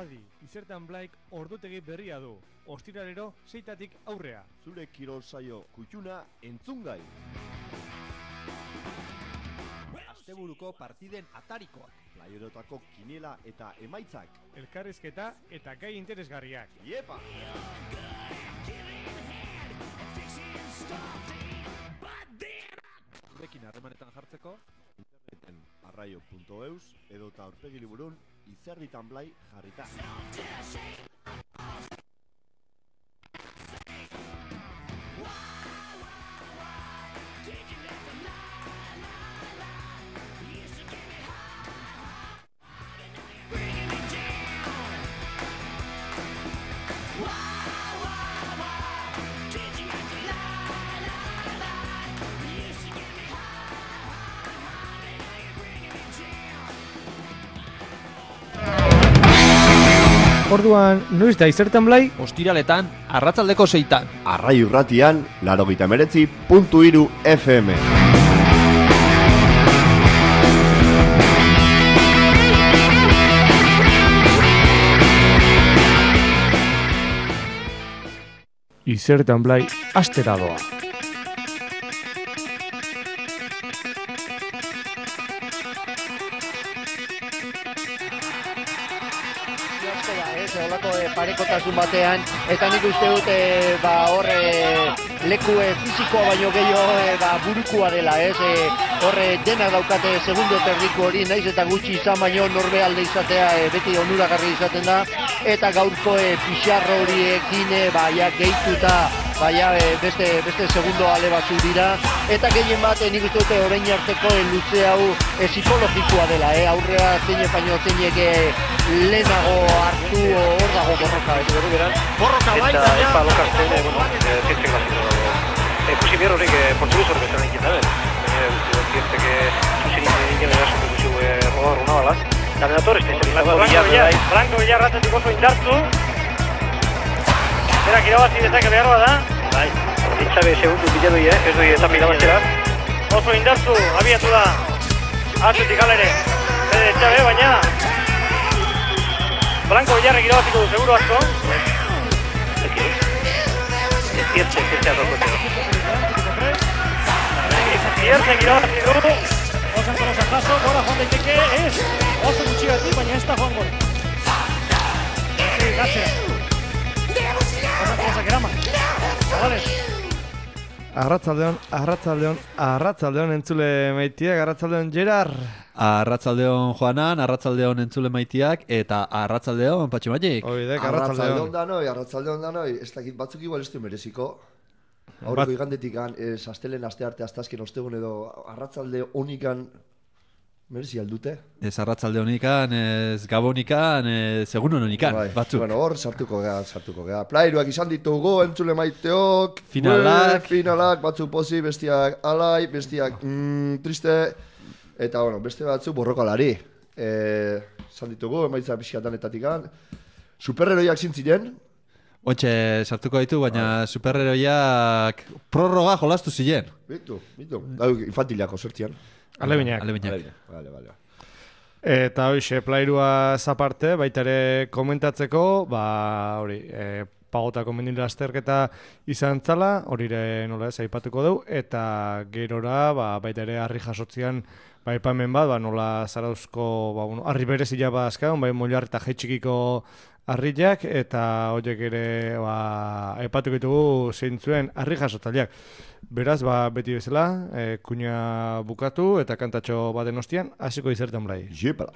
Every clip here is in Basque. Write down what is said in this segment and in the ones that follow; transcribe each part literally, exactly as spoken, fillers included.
Adi, izertan Blaik ordutegi berria du. Ostiralero seitatik aurrea. Zure kirol saio kutxuna entzungai. Asteburuko partiden atarikoak. Playerotako kinela eta emaitzak. Elkarrizketa eta gai interesgarriak. Iepa! Zurekin harremanetan jartzeko Interneten arraio puntu eus edota aurpegi liburun izerditan Blai jarrita. Orduan, noiz da izertan Blai? ostiraletan arratsaldeko seitan. Arraio irratian, laurogeita hemeretzi puntu hiru F M. Izertan Blai astera doa. Olako e, parekotasun batean, eta nik uste dut e, ba, hor e, leku e, fizikoa baino gehiago e, ba, burukua dela, ez? E, hor e, denak daukate segundo terdiko hori, naiz eta gutxi izan baino norbe alde izatea e, beti onuragarri izaten da, eta gaurko e, pixarro horiekin e, ba, ja, gehituta baina e, beste, beste segundo ale batzu dira, eta gehien bat e, nik uste dute orain arteko e, luze hau e, psikologikoa dela, e, aurrea zeine baino zeinek e, lehenago hartu hor dago borroka, ez dugu beran? Borroka bai, eta epa lokartzen, bueno, zientzek baziko. Ikusi behar horiek portugez hori bezala nintzen dabe. Baina, zientzek zuzin nintzen eraso dugu rodar una bala. Eta bedator, ez da Blanco Villar ratzatik oso indartu. Berak irabazi dezake behar bada. Bai, ditzabe segundu bila doi, ez doi eta pilabazera. Oso indartu, abiatu da. Atzetik alere. Bede ditzabe, baina Blanco Villarrek irabaziko du, seguro asko. Ziertzek, ziertzek adokoteo. Ziertzek irabazi du. Osan kolosa jaso, gora joan daiteke, ez. Oso gutxigati, baina ez da joan gora. Ezi, gatzera. Osan kolosa eraman. Zabales. Arratzaldeon, arratzaldeon, arratzaldeon entzule maitiak, arratzaldeon Gerard. Arratzaldeon Joanan, arratzaldeon entzule maitiak, eta arratzaldeon Patxi Magik. Oidek, Arratzaldeon arratzaldeon. danoi, arratzaldeon danoi. Ez dakit batzuk igual ez du mereziko. Aurreko Bat- igandetik ez astelen aste arte astazken ostegun edo arratzalde honikan merezi aldute. Ez arratzaldeonikan, ez gabonikan, ez egun hononikan, Bai, batzuk. Bueno, hor sartuko gea, sartuko gea. Plairuak izan ditugu, entzule maiteok. Finalak. Ue, finalak, batzuk pozi, bestiak alai, bestiak mm, triste. Eta, bueno, beste batzuk borrokalari. E, izan ditugu, emaitza pixkatanetatikan. Superheroiak zintziren. Ontxe sartuko ditu, baina superheroiak prorroga jolastu ziren. Bitu, bitu. Gau, infantiliako sortzian. Alebinak. Alebinak. Vale, vale. Eta hoxe, plairua zaparte, baita ere komentatzeko, ba, hori, e, pagotako mendin lasterketa izan zala, hori ere nola ez, aipatuko dugu, eta gerora, ba, baita ere harri jasotzian, ba, aipamen bat, ba, nola zarauzko, ba, bueno, harri berezila ba azkaun, bai, molar eta jaitxikiko harriak, eta horiek ere, ba, aipatuko ditugu zeintzuen harri jasotzaileak. Beraz, ba, beti bezala, e, kuña bukatu eta kantatxo baten ostian, hasiko izertan Blai. Jepala.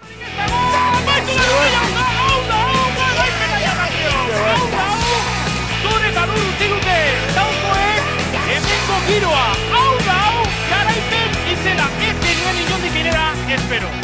Zure eta duru zigute, daukoek, hemengo giroa, hau da hau, garaipen izena, ez genuen inondik inera, espero.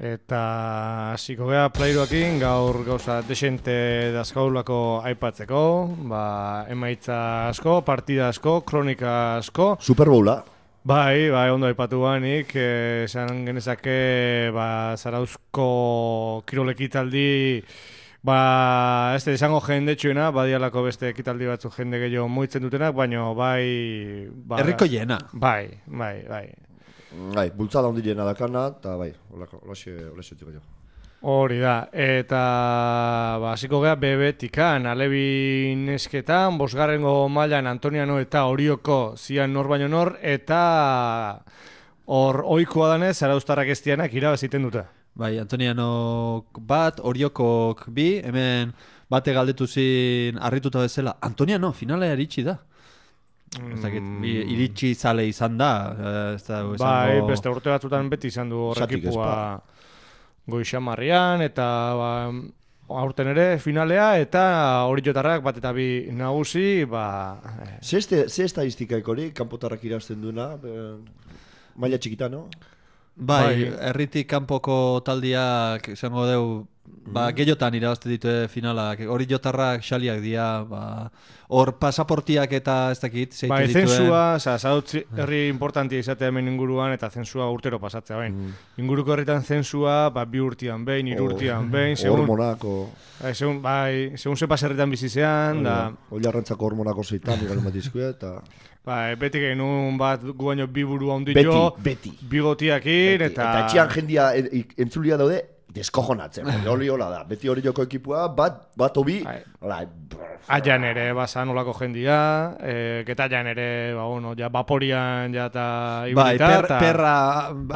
Eta hasiko gea plairuakin gaur gauza desente dazkaulako aipatzeko, ba, emaitza asko, partida asko, kronika asko. Super Bowla. Bai, bai, ondo aipatu banik, esan genezake, ba, Zarauzko kirolekitaldi, ba, ez da, izango jendetxuena, badialako beste ekitaldi batzu jende gehiago moitzen dutenak, baina bai... Ba, Herriko jena. Bai, bai, bai. Bai, bultzada hondi jena dakana, eta bai, olaxe txiko jo. Hori da, eta ba, hasiko gea bebetikan, alebi nesketan, bosgarrengo mailan Antoniano eta Orioko zian nor baino nor, eta hor ohikoa danez, Zarauztarrak estianak irabaziten dute. Bai, Antoniano bat, Oriokok bi, hemen bate galdetu zin harrituta bezala, Antoniano finalea iritsi da. Ez dakit, iritsi zale izan da. Ez da esango... Bai, beste urte batzutan beti izan du horrekipua Goixamarrian, eta ba, aurten ere finalea, eta Oriotarrak bat eta bi nagusi, ba... Ze estadistikaik hori, kanpotarrak irazten duena, maila txikita, no? Bai, herritik kanpoko taldiak, esango deu, ba, gehiotan irabazte ditu finalak, hori jotarrak xaliak dira, ba, hor pasaportiak eta ez dakit, zeitu bai, dituen. Zensua, oza, Zarautz herri importantia izatea hemen inguruan, eta zensua urtero pasatzea, bain. Mm. Inguruko herritan zensua, ba, bi urtian behin, hiru urtian behin, segun... Hormonako... Bai, segun, bai, segun ze paserritan bizizean, da... Oilarrantzako hormonako zeitan, igual matizkue, eta... Bai, beti genuen bat gu baino bi burua ondi beti, jo, beti. Bigotiakin, beti. eta... Eta etxian jendia entzulia daude, deskojonatzen. Hori hola da, beti hori joko ekipua, bat, bat obi... Bai. Aian ere, basan olako jendia, e, getaian ere, ba, bueno, ja, vaporian, ja, eta... Bai, per, ta... perra,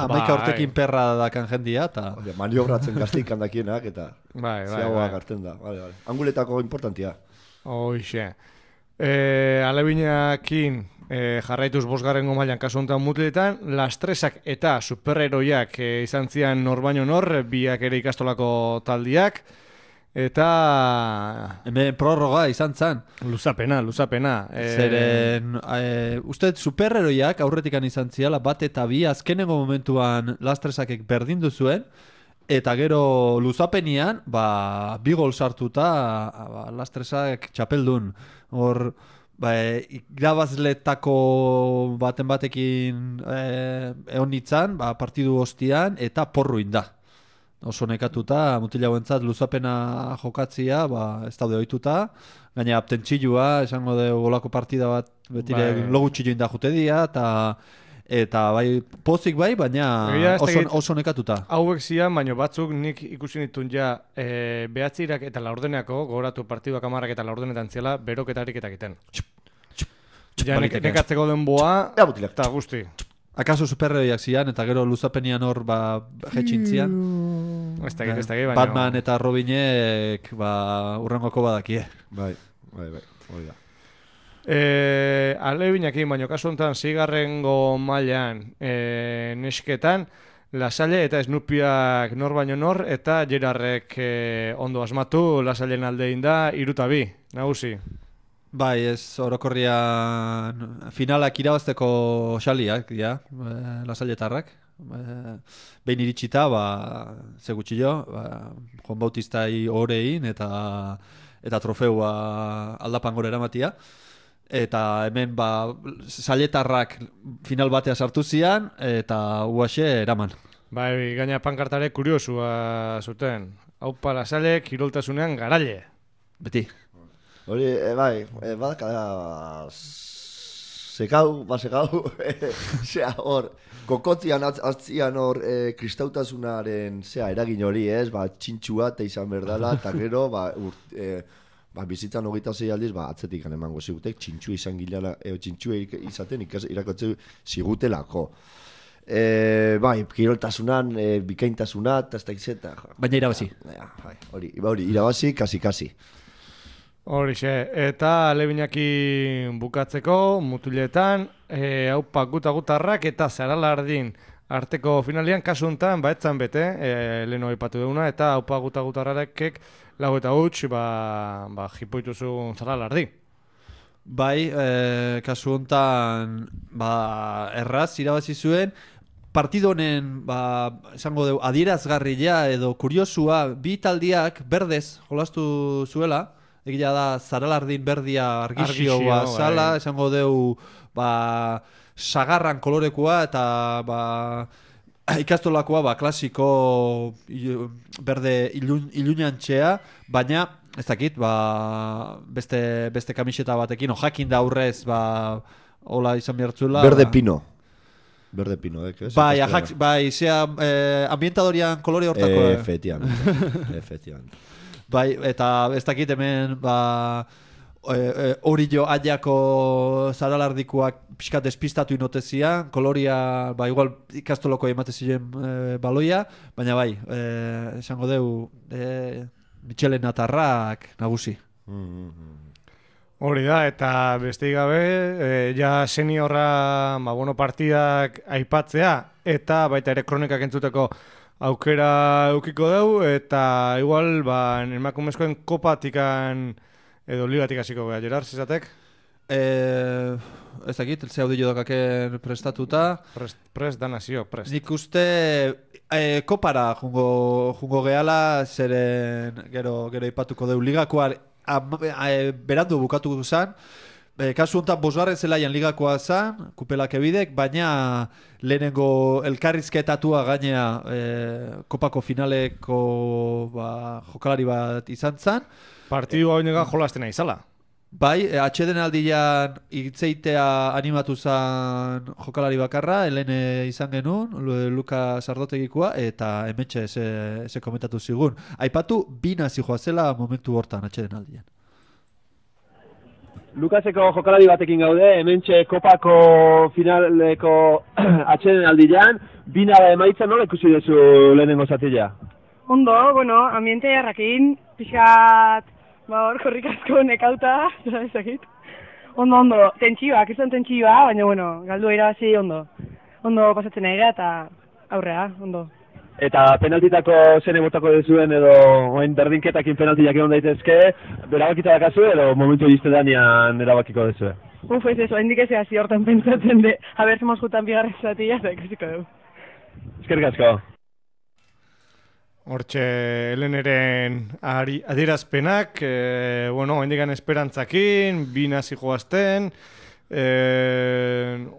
amaika urtekin perra dakan jendia, eta... Maniobratzen gazteik handakienak, eta... Bai, bai, zeagoa bai. garten da, vale, vale. Anguletako importantia. Hoixe. E, Alebinakin... E, jarraituz bosgarrengo mailan kasu honetan mutiletan, Lastresak eta superheroiak e, izan zian nor baino nor, biak ere ikastolako taldiak, eta... Hemen prorroga izan zan. Luzapena, luzapena. E... Zeren, e, uste superheroiak aurretikan izan ziala, bat eta bi azkenengo momentuan Lastresakek berdindu zuen, eta gero luzapenian, ba, bi gol sartuta, ba, Lastresak txapeldun. Hor... Ba, irabazletako baten batekin eh, egon nintzen, ba, partidu hostian, eta porruin da. Oso nekatuta, mutila guentzat luzapena jokatzia, ba, ez daude ohituta, gaina abtentzilua, esango de golako partida bat, betire bai. Logu txilloin da jute dia, eta... Eta bai, pozik bai, baina oso, oso nekatuta. Hauek zian, baina batzuk nik ikusi nituen ja e, behatzirak eta laurdeneako, gogoratu partiduak amarrak eta laurdenetan ziela, beroketarik eta egiten. Ja, nek, nekatzeko denboa, eta guzti. Akaso superheroiak zian, eta gero luzapenian hor ba, jetxintzian. Ez dakit, ez dakit, baina... Batman eta Robinek ba, urrengoko badakie. Bai, bai, bai, hori da. E, Alebinakin, baino kasu honetan zigarrengo mailan e, nesketan, Lasalle eta Snupiak nor baino nor, eta Gerarrek e, ondo asmatu, Lasallen aldein da, iruta bi, nagusi. Bai, ez orokorrian finalak irabazteko xaliak, ja, e, Lasalletarrak. E, behin iritsita, ba, ze gutxi jo, ba, Juan Bautistai orein eta, eta trofeua aldapan gore eramatia. Eta hemen ba Zaletarrak final batea sartu zian eta uaxe eraman. Bai, gaina pankartare kuriosua zuten. Aupa Lasalle kiroltasunean garaile. Beti. Hori, e, bai, e, badaka sekau, basekau, zea hor, kokotzian atzian hor e, kristautasunaren zea eragin hori, ez, ba, txintxua eta izan berdala, eta gero, ba, urt, e, ba, bizitzan hogeita zei aldiz, ba, atzetik emango zigutek, txintxua izan gilala, e, txintxua izaten ikas, irakotze zigutelako. E, bai, kiroltasunan, e, bikaintasuna, eta ez da izeta. Baina irabazi. Ja, bai, hori, hori, irabazi, kasi-kasi. Horixe, eta Alebinaki bukatzeko, mutiletan, e, haupa guta-gutarrak eta Zaralardin arteko finalian, kasu honetan, ba, etzan bete, e, leheno aipatu duguna, eta haupa guta-gutarrakek lau eta huts, ba, ba, jipoituzun Zaralardi. Bai, e, kasu honetan, ba, erraz irabazi zuen, partido honen, ba, esango dugu, adierazgarria edo kuriosua, bi taldiak berdez jolastu zuela, egia da Zaralardin berdia argixioa Argixio, zala, bai. esango dugu, ba, sagarran kolorekoa eta ba, ikastolakoa ba, klasiko ilu, berde ilun, ilunantxea, baina ez dakit, ba, beste, beste kamiseta batekin, o jakin da aurrez, ba, hola izan behartzula. Berde ba, pino. Berde pino, eh? Bai, ajak, bai, zea, eh, ambientadorian kolore hortako. Eh, efectivamente. Efectivamente. Bai, eta ez dakit hemen, ba, hori jo aiako Zaralardikoak pixka despistatu inotezian, koloria, ba, igual ikastoloko emate ziren e, baloia, baina bai, e, esango deu, e, Michelen atarrak nagusi. Hori da, eta besteik gabe, e, ja seniorra, ba, bueno, partidak aipatzea, eta baita ere kronikak entzuteko aukera eukiko deu, eta igual, ba, emakumezkoen kopatikan edo ligatik hasiko gara, Gerard, zizatek? Eh, ez dakit, ze audio dakaken prestatuta. Prest, prest da nazio, prest. Nik uste eh, kopara jungo, jungo gehala, zeren gero, gero ipatuko deu ligakoa eh, berandu bukatu zen. E, kasu honetan bosgarren zelaian ligakoa zen, kupelak ebidek, baina lehenengo elkarrizketatua gainea e, kopako finaleko ba, jokalari bat izan zen. Partidua hori nega jolaztena izala. Bai, e, atxeden aldian itzeitea animatu zen jokalari bakarra, helene izan genuen, Luka Sardotegikoa, eta hemetxe ze, ze komentatu zigun. Aipatu, bi nazi joazela momentu hortan atxeden aldian. Lukaseko jokalari batekin gaude, hementxe kopako finaleko atxeden aldian, bina da emaitza nola ikusi duzu lehenengo zatila? Ondo, bueno, ambiente jarrakin, pixat, ba hor, korrikasko nekauta, ezakit. Ondo, ondo, tentsioak, izan tentsioa, baina, bueno, galdu irabazi ondo. Ondo pasatzen nahi eta aurrea, ondo. Eta penaltitako zene botako dezuen edo oen berdinketakin penaltiak egon daitezke, erabakita dakazu edo momentu izte danean erabakiko dezue? Uf, ez ez, oendik ez hasi hortan pentsatzen de, haber zemos jutan bigarren zatila, eta ikusiko dugu. Eskerrik asko. Hortxe, Heleneren adierazpenak, e, bueno, hendikan esperantzakin, bi nazi joazten, e,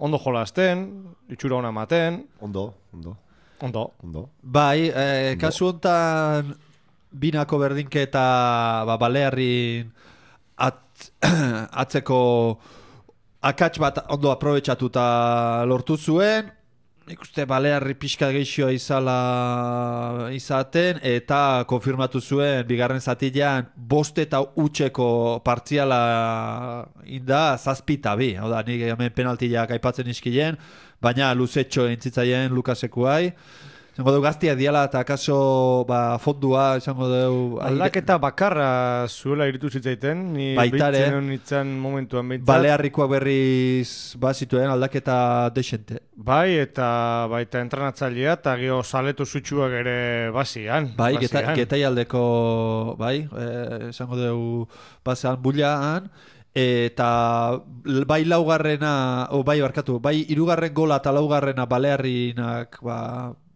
ondo jolazten, itxura hona maten. Ondo, ondo. Ondo. Ondo. Bai, e, kasu honetan binako berdinketa ba, Balearrin at, atzeko akats bat ondo aprobetxatuta lortu zuen. Nik uste Balearri pixka geixioa izala izaten eta konfirmatu zuen bigarren zatilean bost eta utxeko partziala inda zazpita bi. Hau da, nik hemen penaltiak aipatzen iskilen, baina luzetxo entzitzaien Lukasekuai. Izango dugu gaztiak diala eta akaso ba, fondua, izango dugu... Aldaketa bakarra zuela iritu zitzaiten, ni baitare, behitzen nintzen momentuan behintzat. Balearrikoak berriz bazituen aldaketa desente. Bai, eta baita entrenatzailea eta geho saletu zutxuak ere bazian. Bai, geta, getai aldeko, bai, izango e, dugu bazean bulaan. Eta bai laugarrena, o bai barkatu, bai hirugarren gola eta laugarrena Balearrinak ba,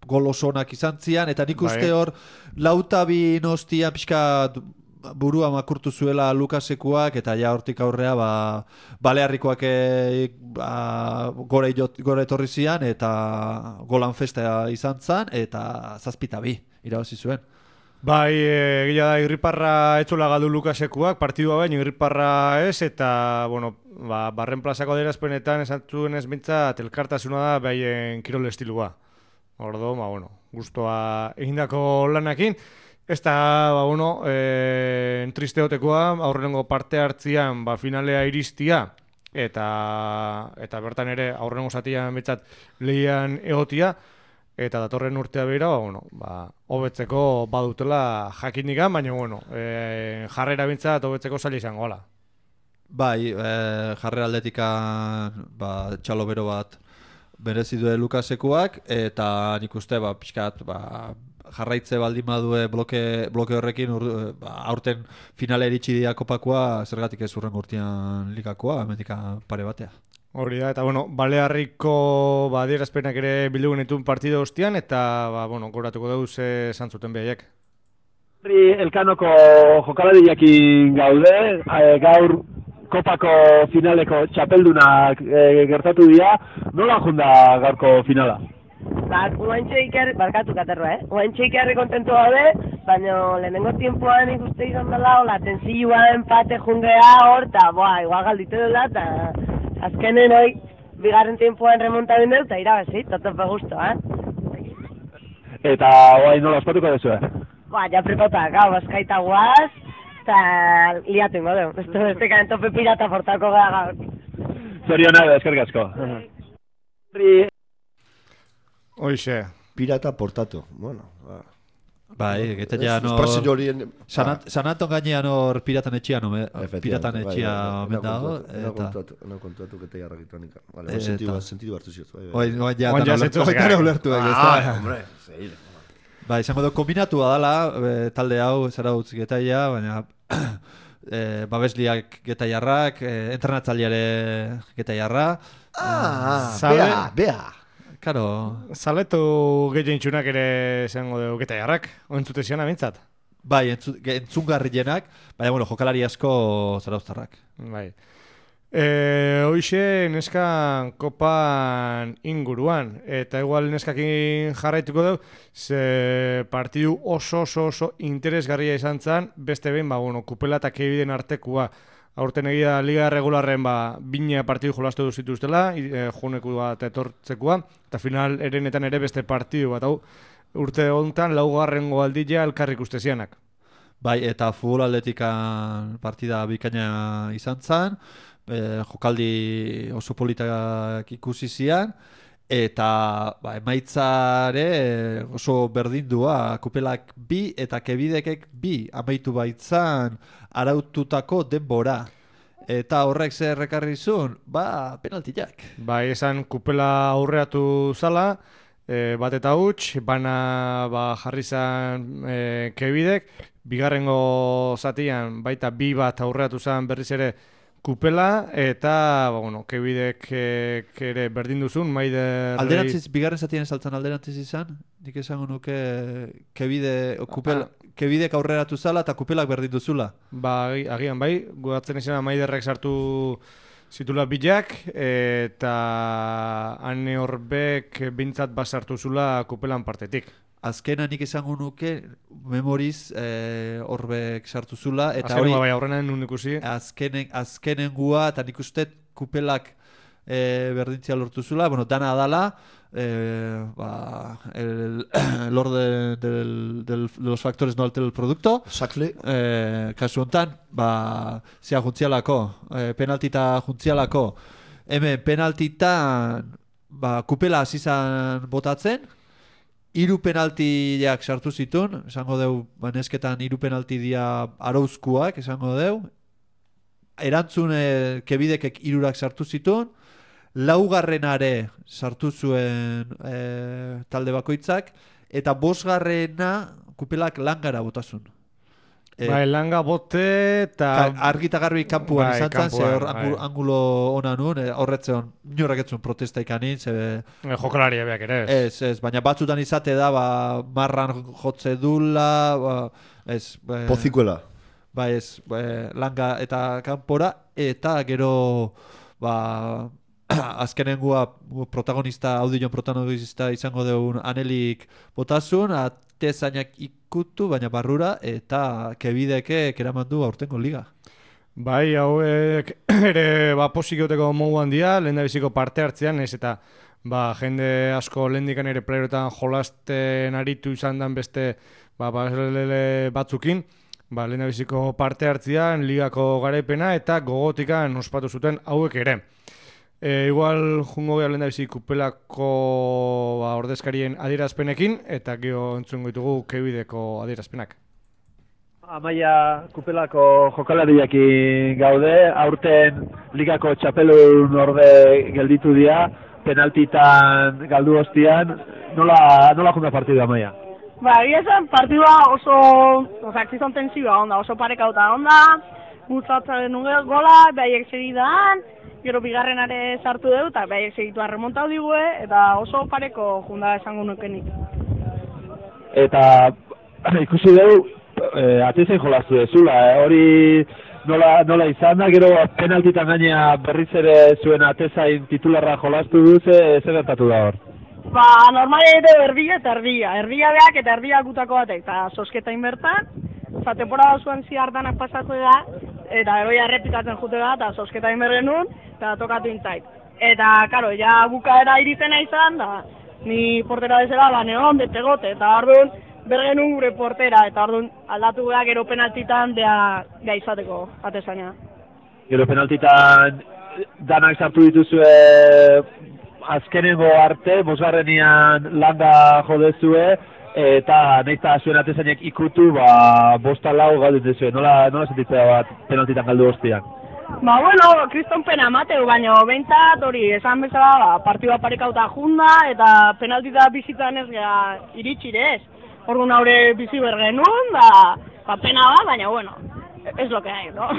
gol osonak izan zian, eta nik uste hor lautabi nostia pixka burua makurtu zuela Lukasekuak, eta ja hortik aurrea ba, Balearrikoak e, ba, gore, gore etorri zian, eta golan festa izan zan, eta zazpita bi irabazi zuen. Bai, egia da, irriparra etxola galdu Lukasekuak, partidua baino irriparra ez, eta, bueno, ba, barren plazako adierazpenetan esan zuen ez bintzat, elkartasuna da behaien kirol estilua. Ordo, ba, bueno, guztua egindako lanakin. Ez da, ba, bueno, e, entristeotekoa, aurrenengo parte hartzian, ba, finalea iristia, eta, eta bertan ere aurrenengo zatian betzat lehian egotia, eta datorren urtea behira, ba, bueno, ba, hobetzeko badutela jakindikan, baina, bueno, e, jarrera bintzat hobetzeko zaila izango ala. Bai, e, jarrera aldetikan, ba, txalo bero bat berezi due Lukasekuak, eta nik uste, ba, pixkat, ba, jarraitze baldin badue bloke, bloke horrekin ur, ba, aurten finale eritsi dia kopakoa, zergatik ez urren urtean ligakoa, hemendik pare batea. Hori da, eta bueno, Balearriko ba, adierazpenak ere bildu genituen partida ostian, eta ba, bueno, goratuko dugu ze esan zuten behaiek. Elkanoko jokalariakin gaude, e, gaur kopako finaleko txapeldunak e, gertatu dira, nola junda gaurko finala? Ba, oaintxe ikerri, barkatu katerroa, eh? Oaintxe ikerri kontentu gaude, baina lehenengo tiempoan ikuste izan dela, hola, tensillua empate jungea hor, eta boa, igual galditu dela, eta azkenen hoi, bigarren tiempoan remonta bindeu, eta irabazi, totope gusto, eh? Eta oain nola ospatuko dezu, eh? Ba, ja prepota, gau, bazkaita guaz, eta liatu ingo deu. Esto beste karen tope pirata portako gara gaur. Zoriona, eskerrik asko. Hoixe. Pirata portatu, bueno, ba. Bai, eta ja no... San Anton gainean hor piratan etxean, piratan etxea omen dago. Ena kontatu, ena kontatu kete jarrak itonik. Vale, sentidu hartu ziot. Oin ja tan ulertu. Ah, hombre, zeile. Ba, izango du kombinatua dela, e, talde hau, zara utz getaia, baina e, babesliak getaiarrak, e, entrenatzaileare getaiarra. Ah, Zabe... bea, bea. Karo. Zaletu gehien txunak ere izango du getaiarrak, oentzute zion amintzat. Bai, entzu, entzungarrienak, baina, bueno, jokalari asko zarauztarrak. Bai. E, hoixe neskan kopan inguruan, eta igual neskakin jarraituko dugu, ze partidu oso oso oso interesgarria izan zen, beste behin, ba, bueno, kupela eta kebiden artekua. Aurten egia liga regularren ba, bine partidu jolastu du zituztela, e, juneku bat etortzekua, eta final erenetan ere beste partidu bat, hau, urte honetan laugarrengo aldila elkarrik uste zianak. Bai, eta futbol atletikan partida bikaina izan zen, e, jokaldi oso politak ikusi zian, eta ba, emaitzare oso berdindua, kupelak bi eta kebidekek bi amaitu baitzan araututako denbora. Eta horrek zer rekarri zuen, ba, penaltiak. Ba, esan kupela aurreatu zala, e, bat eta huts, bana ba, jarri zan e, kebidek, bigarrengo zatian baita bi bat aurreatu zan berriz ere kupela, eta ba, bueno, kebidek e, ere berdin duzun, maider... Alderantziz, bigarren zatien saltzen alderantziz izan, nik esango nuke kebide, kupel, ah. kebidek aurreratu zala eta kupelak berdin duzula. Ba, agian bai, guatzen izan maiderrek sartu zitula bilak, eta ane horbek bintzat basartu zula kupelan partetik. Azkena nik esango nuke memoriz e, horbek sartu zula. Eta azkenen bai aurrenan nun ikusi. Azkenen, azkenen gua eta nik uste kupelak e, berdintzia lortu zula. Bueno, dana adala, e, ba, el, el orden del, del, de los factores no altera el producto. Exactly. E, kasu hontan, ba, zea juntzialako, e, penaltita juntzialako. Hemen penaltitan ba, kupela azizan botatzen, hiru penaltiak sartu zituen, esango deu, banesketan hiru penalti dia arauzkuak, esango deu. Erantzun e, kebidekek hirurak sartu zituen, laugarrenare sartu zuen e, talde bakoitzak, eta bosgarrena kupelak langara botazun. E, bai, langa bote eta... Argita garbi kanpuan bai, izan zen, ze hor bai. angulo ona nun, e, horretzeon, inorrak etzun protesta ikanin, ze... E, jokalaria beak ere, ez. Ez, ez, baina batzutan izate da, ba, marran jotze dula, ba, ez... E, Pozikuela. Ba, ez, e, langa eta kanpora, eta gero, ba... azkenengua protagonista, audion protagonista izango deun anelik botazun, atezainak ikutu, baina barrura, eta kebideke eraman du aurtengo liga. Bai, hauek ere ba, posik egoteko mogu handia, lehen da biziko parte hartzean, ez eta ba, jende asko lehendikan ere playerotan jolasten aritu izan dan beste ba, baslele batzukin, ba, lehen da biziko parte hartzean, ligako garaipena eta gogotikan ospatu zuten hauek ere. E, igual jungo geha lehen da bizi kupelako ba, ordezkarien adierazpenekin, eta geho entzungo ditugu kebideko adierazpenak. Amaia kupelako jokalariakin gaude, aurten ligako txapelun orde gelditu dira, penaltitan galdu ostian, nola, nola junda partidua, Amaia? Ba, egia esan partidua oso, ozak zizan tensioa onda, oso parekauta onda, Gutzatzen nuen gola, behaiek segidan, gero bigarrenare sartu dugu, eta behaiek segitu arremontau digue, eta oso pareko junda esango nukenik. Eta ikusi dugu, eh, atezen jolastu dezula, eh? Hori nola, nola izan da, gero penaltitan gaina berriz ere zuen atezain titularra jolastu du, ze zer gertatu da hor? Ba, normale edo erdia eta erdia, erdia beak eta erdia gutako batek, eta sosketain bertan, eta temporada zuen ziardanak pasatu da, eta eroia errepikatzen jute da, eta sosketain berren nun, eta tokatu intzait. Eta, karo, ja bukaera irizena izan, da, ni portera dezela, ba, neon, betegote, eta orduan, bergenun gure portera, eta orduan aldatu gara gero penaltitan bea, bea izateko atezaina. Gero penaltitan danak sartu dituzue azkenengo arte, bosgarrenian landa jodezue, eta nahiz eta zuen atezainek ikutu, ba, bosta lau galdut dezue. Nola, nola sentitzea bat penaltitan galdu hostian? Ba, bueno, kriston pena mateu, baina behintzat hori, esan bezala, ba, partidua parekauta junda, eta penaltita bizitan ez gara iritsirez. Orduan haure bizi bergenun, da, ba, pena ba, baina, bueno, ez lo que hay, no?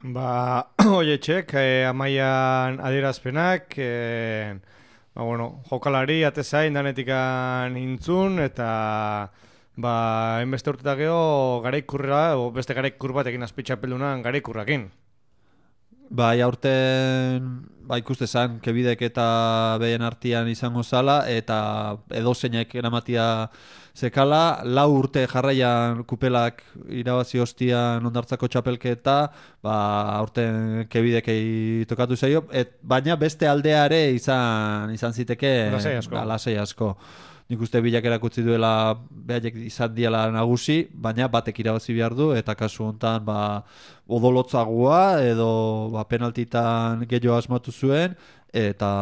Ba, oie txek, eh, amaian adierazpenak, eh, ba, bueno, jokalari, atezain, danetikan intzun, eta ba, enbeste urtetak geho garaikurra, o beste garaikur batekin azpitxapeldunan garaikurrakin. Bai, aurten ba, ikuste zan, kebidek eta behien artian izango zala, eta edozeinek eramatia zekala, lau urte jarraian kupelak irabazi hostian ondartzako txapelketa, ba, aurten kebidekei tokatu zaio, et, baina beste aldeare izan, izan ziteke lasai asko. Ba, lasai asko. Nik uste bilak erakutsi duela behaiek izan diela nagusi, baina batek irabazi behar du, eta kasu honetan ba, odolotzagua edo ba, penaltitan gehiago asmatu zuen, eta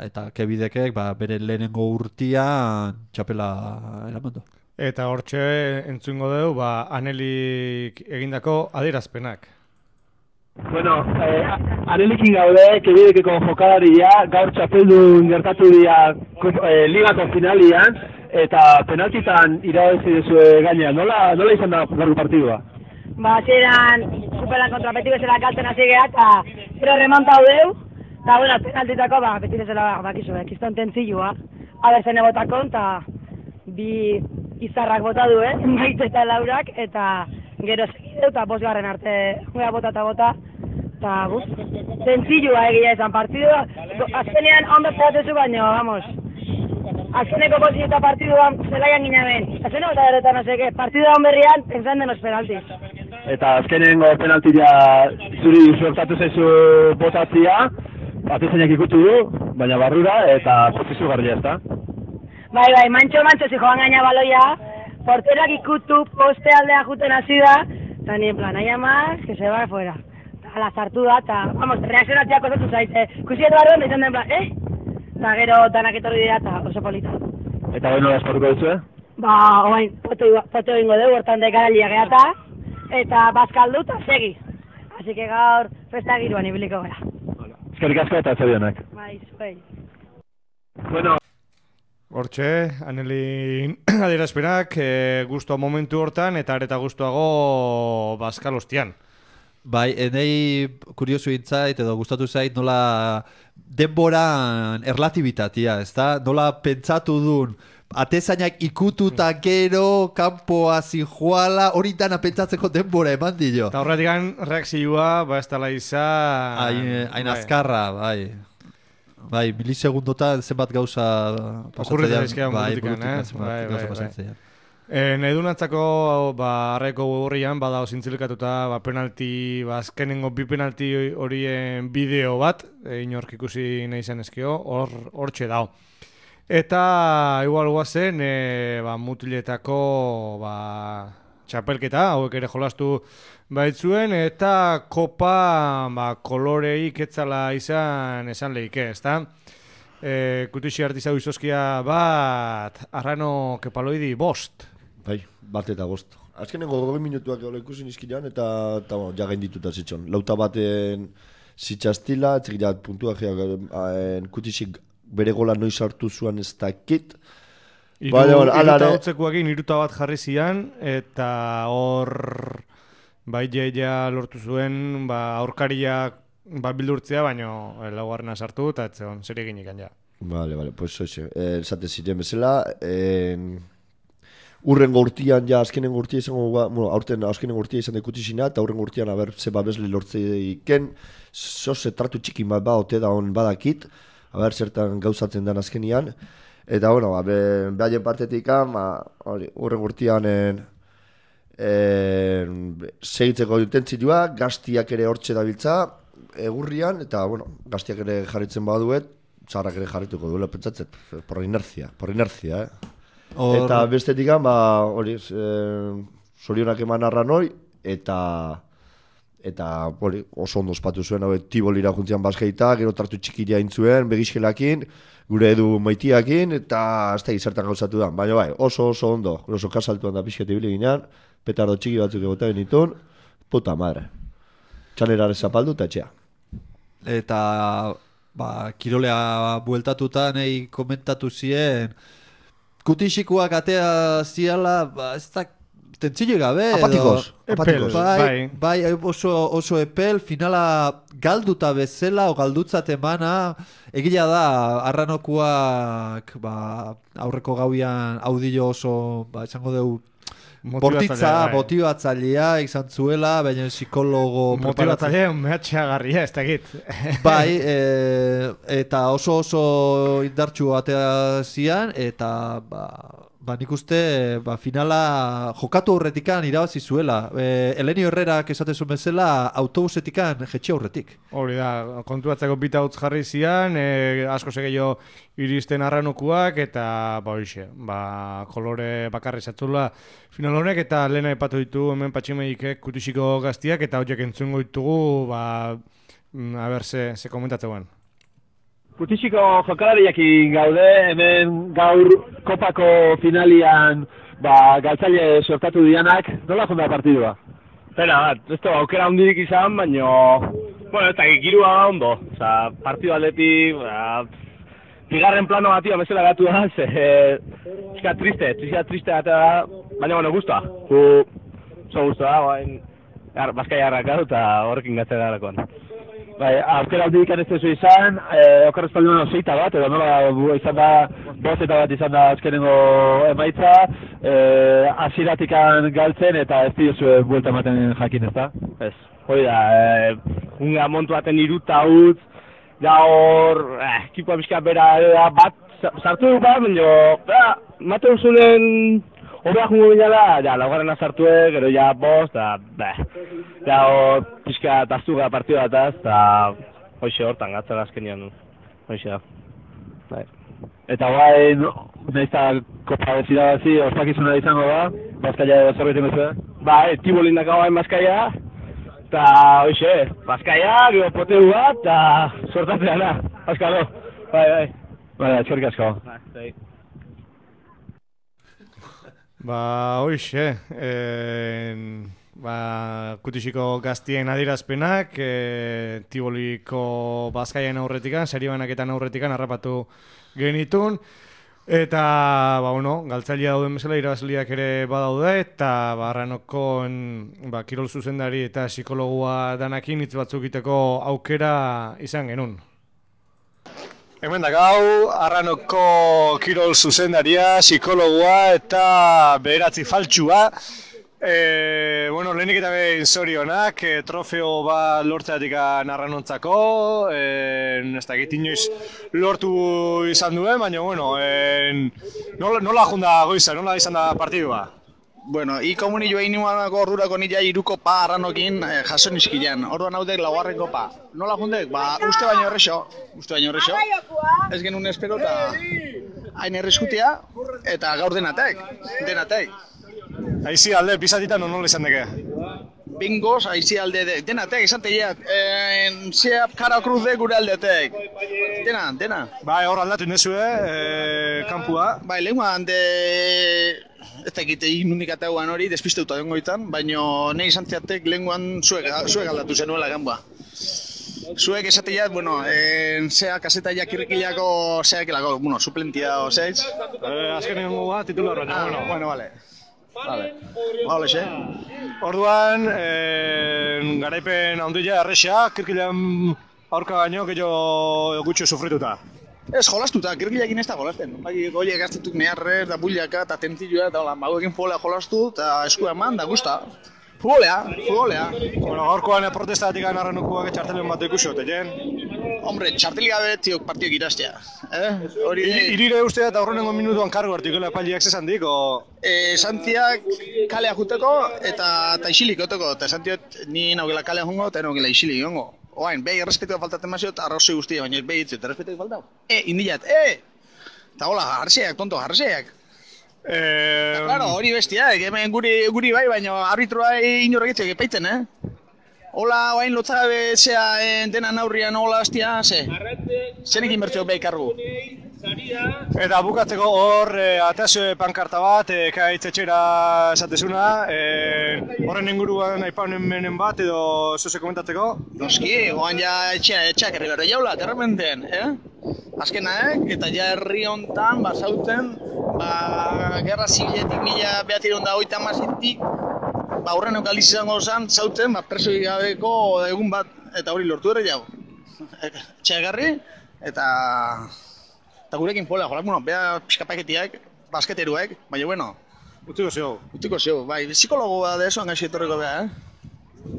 eta kebidekek ba, bere lehenengo urtian txapela eramandu. Eta hortxe entzungo dugu ba, Anelik egindako adierazpenak. Bueno, eh, anelikin gaude, kebidekeko jokalaria, gaur txapeldun gertatu dira eh, ligako finalian, eta penaltitan irabazi dezue gaina. Nola, nola izan da gaur partidua? Ba, zeran, superan kontra beti bezala galtzen hasi geha, eta gero remontau deu, eta, bueno, penaltitako, ba, beti bezala, bakizu, eh, kiston tentzilua, abertzen egotako, eta bi izarrak bota du, eh, Maite eta Laurak, eta gero segideu, eta bosgarren arte, goea bota eta bota, eta, buf, tentzilua egia izan partidua, azkenean ondo zehatezu baino, vamos, azkeneko bosin eta partiduan zelaian gina ben, azkeneko eta derretan no seke, partiduan berrian, pensan denos penaltiz. Eta azkenengo penaltia zuri suertatu zaizu botatzia, atezainak ikutu du, baina barrura, eta prozesu garria ez da. Bai, bai, mantxo, mantxo, zi joan gaina baloia, porterak ikutu, poste aldea juten hasi da, eta ni en plan, aia más, que se va fuera. Eta ala zartu da, eta, vamos, reakzionatziak osatu zaite. Kusietu barruan, izan den plan, eh? Eta gero danak etorri dira, eta oso polita. Eta hori nola esparruko duzu, eh? Ba, oain, foto, foto ingo dugu, hortan dekaralia geata, eta bazkaldu, eta segi. Así que gaur, festa giruan ibiliko gara. Eskerrik asko eta zorionak. Bai, zuei. Bueno, Hortxe, Anelin adierazpenak, e, guztua momentu hortan, eta areta guztuago bazkal hostian. Bai, enei kuriosu intzait edo gustatu zait nola denboran erlatibitatea, ezta? Nola pentsatu dun atezainak ikututa gero kanpoa zijoala, hori dana pentsatzeko denbora eman dio. Eta horretik reakzioa, ba ez dala izan... Hain, hain azkarra, bai. Bai, milisegundotan zenbat gauza pasatzen dira. Bai, burutik, zenbat bai, gauza bai, pasatzen dira. E, nahi dunantzako, ba, arreko horrian, bada zintzilkatuta, ba, penalti, ba, azkenengo bi penalti horien bideo bat, e, inork ikusi nahi zen ezkio, hor, hortxe dao. Eta, igual guazen, e, ba, mutiletako, ba, txapelketa, hauek ere jolastu baitzuen, eta kopa, ba, kolorei ketzala izan esan lehike, ezta? E, kutixi artizau izoskia bat, arrano kepaloidi bost. Bai, bat eta bost. Azkenengo gogoi minutuak egola ikusi nizkinean, eta, eta bueno, ja gaindituta zitxon. Lauta baten zitxastila, etxekirat puntua geak, kutixik bere gola noiz hartu zuen ez dakit, Iru, Baina, bueno, ala iruta ere- hotzekuekin iruta bat jarri zian, eta hor bai jeia lortu zuen, ba, aurkariak ba, bildurtzea, baino eh, laugarrena sartu, eta ez zegoen, zer egin ikan ja. Vale, vale, pues hoxe, eh, esate ziren bezala, eh, urrengo urtian, ja, azkenengo urtia izango, ba, bueno, aurten azkenengo urtia izan dekutisina, eta urrengo urtian, aber, ze babesle lortze iken, zoze tratu txikin bat ba, ote da hon badakit, aber, zertan gauzatzen den azkenian, eta, bueno, ba, be, behaien partetik, ba, hori, urrengo urtian, en, en, segitzeko intentzioa, gaztiak ere hortxe dabiltza, egurrian, eta, bueno, gaztiak ere jarritzen baduet, zaharrak ere jarrituko duela, pentsatzen, por inercia, por inercia, eh? Hor- Eta bestetik, ba, hori, e, zorionak eman arranoi, eta eta hori, oso ondo ospatu zuen, hau, Tibolira juntzian bazkaita, gero tartu txikiria intzuen, begizkelakin, gure edu maitiakin, eta ez da gizartan gauzatu da. Baina bai, oso oso ondo, oso kasaltuan da pixket ibili ginean, petardo txiki batzuk egota genitun, puta madre. Txanerare zapaldu eta etxea. Eta ba, kirolea bueltatuta nahi komentatu zien kutixikoak atea ziala, ba, ez da tentzile gabe edo- Apatikos, Epel, apatikos. Bai, bai, oso, oso epel, finala galduta bezala o galdutzat emana, egila da, arranokuak ba, aurreko gauian audillo oso, ba, esango dugu, bortitza, bai. motibatzailea izan zuela, baina psikologo Motibatzaile mehatxeagarria, ez dakit. Bai, e, eta oso oso indartxu atea zian, eta ba, ba nik uste ba, finala jokatu aurretikan irabazi zuela. E, Elenio Herrerak esatezun bezala autobusetikan jetxe aurretik. Hori da, kontuatzeko bita utz jarri zian, e, asko segeio iristen arranokuak, eta ba hoxe, ba, kolore bakarri zatzula final honek, eta lehena epatu ditu hemen patximeikek kutisiko gaztiak, eta horiek entzungo ditugu, ba, mm, a ber, ze, ze komentatzen. Kutisiko jokalariakin gaude, hemen gaur kopako finalian ba, galtzaile sortatu dianak, nola jonda partidua? Pena bat, ez da aukera handirik izan, baino, bueno, ez da girua ondo, oza, partidu aldetik, ba, bigarren plano batio bezala gatu da, ze, eska triste, triste, triste gata da, baina, bueno, guztua, gu, oso guztua da, bain, Bazkai harrakatu eta horrekin gatzea darakoan. Bai, aukera aldi ikan ez dezu izan, eh, okarrez palduan oseita bat, edo nola bu, izan da, bozeta bat izan da azkenengo emaitza, eh, aziratikan galtzen eta ez diozu buelta ematen jakin ez da? Ez, hori da, eh, unga montu baten iruta utz, da hor, eh, ekipoa bizka bera da, bat, sartu duk bat, baina, mate usunen, Hobea jungo binala, ja, laugarrena sartue, gero ja bost, eta, beh, ja, hor, pixka taztuga partidu bataz, eta, hoxe hortan, gatzara azkenian, hoxe da. Bai. Eta guai, nahizta kopa bezirabazi, ospakizuna izango da, Bazkaia edo zerbait ingo zuen? Bai, Tibolin daka guai Bazkaia, eta, hoxe, Bazkaia, gero poteu bat, eta sortatzea da, azkalo, bai, bai. Bai, eskerrik asko. Bai. Ba, hoxe, eh, ba, kutisiko gaztien adierazpenak, eh, Tiboliko Bazkaian aurretikan, seribanaketan aurretikan harrapatu genitun, eta, ba, bueno, galtzailea dauden bezala irabazliak ere badaude, eta barranokon, ba, kirol zuzendari eta psikologua danakin hitz batzuk iteko aukera izan genuen. Hemen da gau, Arranoko kirol zuzendaria, psikologoa eta beheratzi faltsua. E, bueno, lehenik eta behin zorionak, e, trofeo bat lortzeatik Arranontzako, e, ez dakit inoiz lortu izan duen, baina, bueno, e, nola, nola junda goiza, nola izan da partidua? Bueno, i komuni joa inuanako ordurako nila iruko pa arranokin eh, jaso nizkilean. Orduan haudek laugarren kopa. Nola jundek? Ba, uste baino errexo. Uste baino errexo. Ez genuen espero eta hain erreskutia eta gaur denatek. Denatek. Aizi alde, pisatitan nola izan deke? Bingoz, aizi alde de, denatek, esan teiat. Eh, Zeap kara kruz de gure aldetek. Dena, dena. Bai, hor aldatu indezue, e, kampua. Bai, lehenguan de... Ez da egite inundik atauan hori, despisteuta dengoitan, baina nahi izan zeatek lehenguan zuek, zuek aldatu zenuela ganba. zuek esateiat, bueno, en zea kasetaia kirrikilako zeakilako, bueno, suplentia o zeiz. Eh, azkenengo bat titular baina, Ah, bueno. bueno, vale. Vale. Vale, xe. Orduan, eh, garaipen handia erresa, kirkilan aurka baino, gehiago gutxo sufrituta. Ez, jolastuta, kirkilakin ez da jolasten. Bai, goiek gaztetuk neharrez, da bullaka, eta tentilloa, eta hola, magoekin futbolea jolastu, eta eskua eman, da gusta. Futbolea, futbolea. Bueno, gaurkoan protestatik anarrenukoak txartelen bat ikusi hote, jen? Hombre, txarteli gabe tiok partiok irastea. Eh? Hori... Irire uste eta aurrenengo minutuan kargo artikola epaileak zesan dik, o... Eh, Santiak kalea juteko eta, eta isilik oteko, eta Santiot ni naugela kalea jungo eta naugela isilik jongo. Oain, behi errespetua faltatzen mazio eta arrozoi guztia, baina ez behi ditzut, errespetua faltau. E, indilat, e! Eta hola, jarseak, tonto, jarseak. Eh... Claro, hori bestiak, hemen guri, guri bai, baina arbitroa inorregitzek epaiten, eh? Hola, oain lotzagabe zea en, dena naurrian hola hastia, ze? Zenekin bertzeo behi kargu. Eta bukatzeko hor, e, atazio pankarta bat, e, kaitz etxera esatezuna, e, horren inguruan aipanen menen bat, edo zuze komentatzeko? Noski, oan ja etxea, etxeak herri berri jaula, terrepenten, eh? Azkenaek, eta ja herri hontan, ba, zauten, ba, gerra zibiletik mila behatzireun da hogeita hamasetik, ba, horren okaliz izango zen, zauten, ba, preso gabeko egun bat, eta hori lortu ere jau. Etxea garri, eta... Eta gurekin pola, jolak, bueno, beha pixkapaketiak, basketeruek, baina, bueno... Utiko zio. Utiko zio, bai, psikologoa da eso, angaxi etorriko beha, eh?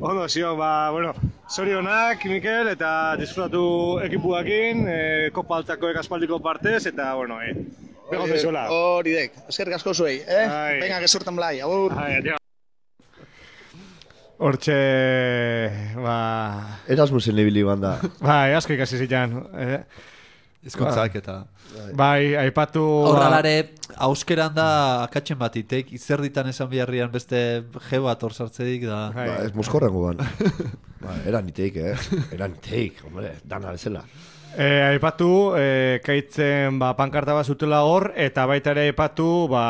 Ondo, zio, ba, bueno, zorionak, Mikel, eta disfrutatu ekipuakin, e, kopa altzakoek aspaldiko partez, eta, bueno, e, begon dezuela. Hori dek, eskerrik asko zuei, eh? Ai. Venga, gezurtan blai, agur. Ai, adio. Hortxe, ba... Erasmusen ibili banda. Bai, asko ikasi zitan. Eh? Ezkontzak eta... Bai, aipatu... Horralare, auskeran da akatzen bat itek, izerditan esan biharrian beste je bat hor sartzedik da... Ba, ez moskorrengo ban. Ba, eran iteik, eh? Eran iteik, hombre, dana bezala. E, aipatu, e, kaitzen ba, pankarta bat zutela hor, eta baita ere aipatu, ba,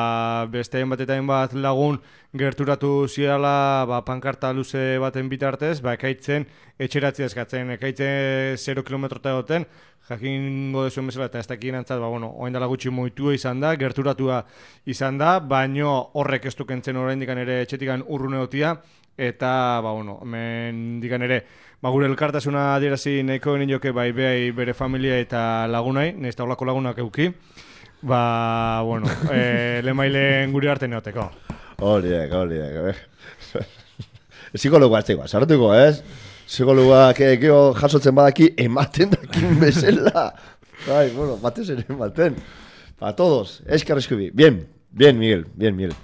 beste bat eta bat lagun gerturatu ziala ba, pankarta luze baten bitartez, ba, ekaitzen etxeratzea eskatzen, ekaitzen zero kilometrota egoten, jakingo dezuen bezala eta ez dakien antzat, ba, bueno, oain dala gutxi moitua izan da, gerturatua izan da, baino horrek ez dukentzen orain dikan ere etxetikan urrune gotia, eta, ba, bueno, hemen dikan ere, ba, gure elkartasuna adierazi nahiko ginen joke, bai, behai bere familia eta lagunai, nahiz eta horlako lagunak euki, ba, bueno, e, lemailen gure arte neoteko. Horiek, horiek, eh? Psikologoa ez dagoa, sartuko, ez? Psikologoak egeo jasotzen badaki, ematen dakin bezala. Bai, bueno, batez ere ematen. Para todos, eskerrezko bi. Bien, bien, Miguel, bien, Miguel.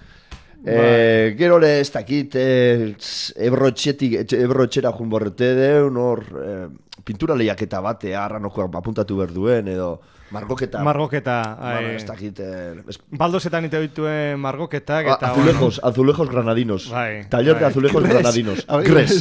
Eh, gero le ez dakit, eh, ebrotxetik, ebrotxera jun borrete deun, hor, eh, pintura lehiaketa bate, arranokoak apuntatu behar duen, edo... Margoketa. Margoketa. Bueno, ez dakit... Eh, es... Baldozetan ite dituen margoketak eta... Azulejos, bueno. azulejos granadinos. Bai. Taller bai. de azulejos Gres. granadinos. Gres.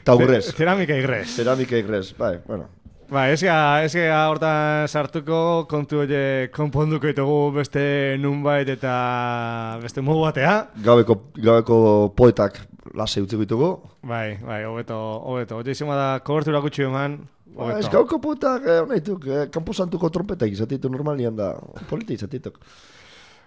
Tau gres. Cerámica y gres. Cerámica y gres. Bai, bueno. Ba, ez gara hortan sartuko kontu hori konponduko ditugu beste nunbait eta beste modu batea. Gabeko, gabeko poetak lase utziko ditugu. Bai, bai, hobeto, hobeto. Ote izan bada kobertura gutxi eman. Ba, ez gauko poetak, eh, nahituk, eh, kampo santuko trompetak izatitu normalian da. Polita izatituk.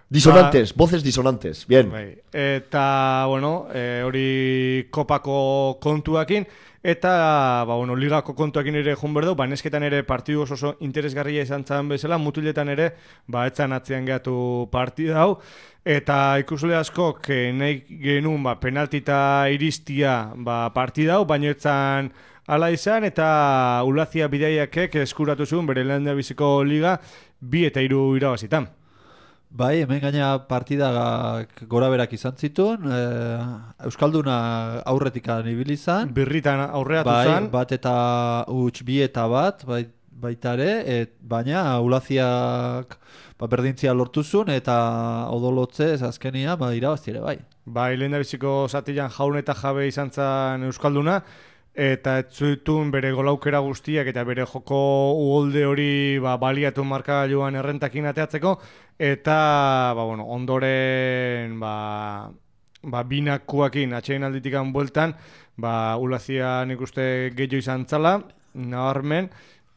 Disonantes, ba, voces disonantes, bien. Bai. Eta, bueno, e, hori kopako kontuakin, eta, ba, bueno, ligako kontuakin ere joan berdu, ba, nesketan ere partidu oso, oso interesgarria izan zan bezala, mutiletan ere, ba, etzan atzean gehatu partida hau, eta ikusle askok nahi genuen, ba, penaltita iristia, ba, partida hau, baina etzan ala izan, eta Ulazia bidaiakek eskuratu zuen, bere lehen biziko liga, bi eta hiru irabazitan. Bai, hemen gaina partida gora berak izan zituen, e, Euskalduna aurretikan ibili izan. Birritan aurreatu bai, zan. Bat eta huts bi eta bat, bai, baita ere, et, baina Ulaziak ba, berdintzia lortu zuen, eta odolotzez azkenia ba, irabazti ere, bai. Bai, lehen biziko zatian jaun eta jabe izan zan Euskalduna, eta ez zutun bere golaukera guztiak eta bere joko uholde hori ba, baliatu markagailuan errentakin ateatzeko, eta ba, bueno, ondoren ba, ba, binakuakin atxein alditikan bueltan, ba, Ulazia nik uste gehiago izan zala, nabarmen,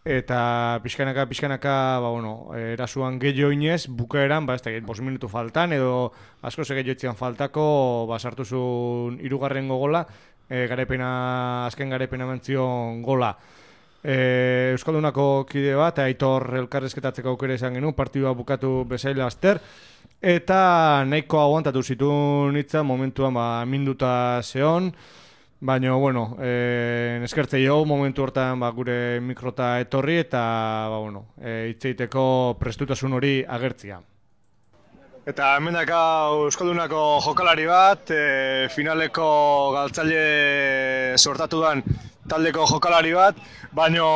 eta pixkanaka, pixkanaka, ba, bueno, erasuan gehiago inez, bukaeran, ba, ez da, bost minutu faltan, edo asko ze gehiago faltako, ba, sartu zuen hirugarren gola, e, garaipena, azken garaipena mentzion gola. E, Euskaldunako kide bat, Aitor elkarrezketatzeko aukera izan genuen, partidua bukatu bezaila azter, eta nahiko aguantatu zituen hitza momentuan ba, minduta zeon, baina, bueno, e, eskertzei hau momentu hortan ba, gure mikrota etorri eta ba, bueno, e, hitzeiteko prestutasun hori agertzia. Eta hemen daka Euskaldunako jokalari bat, e, finaleko galtzaile sortatu dan taldeko jokalari bat, baina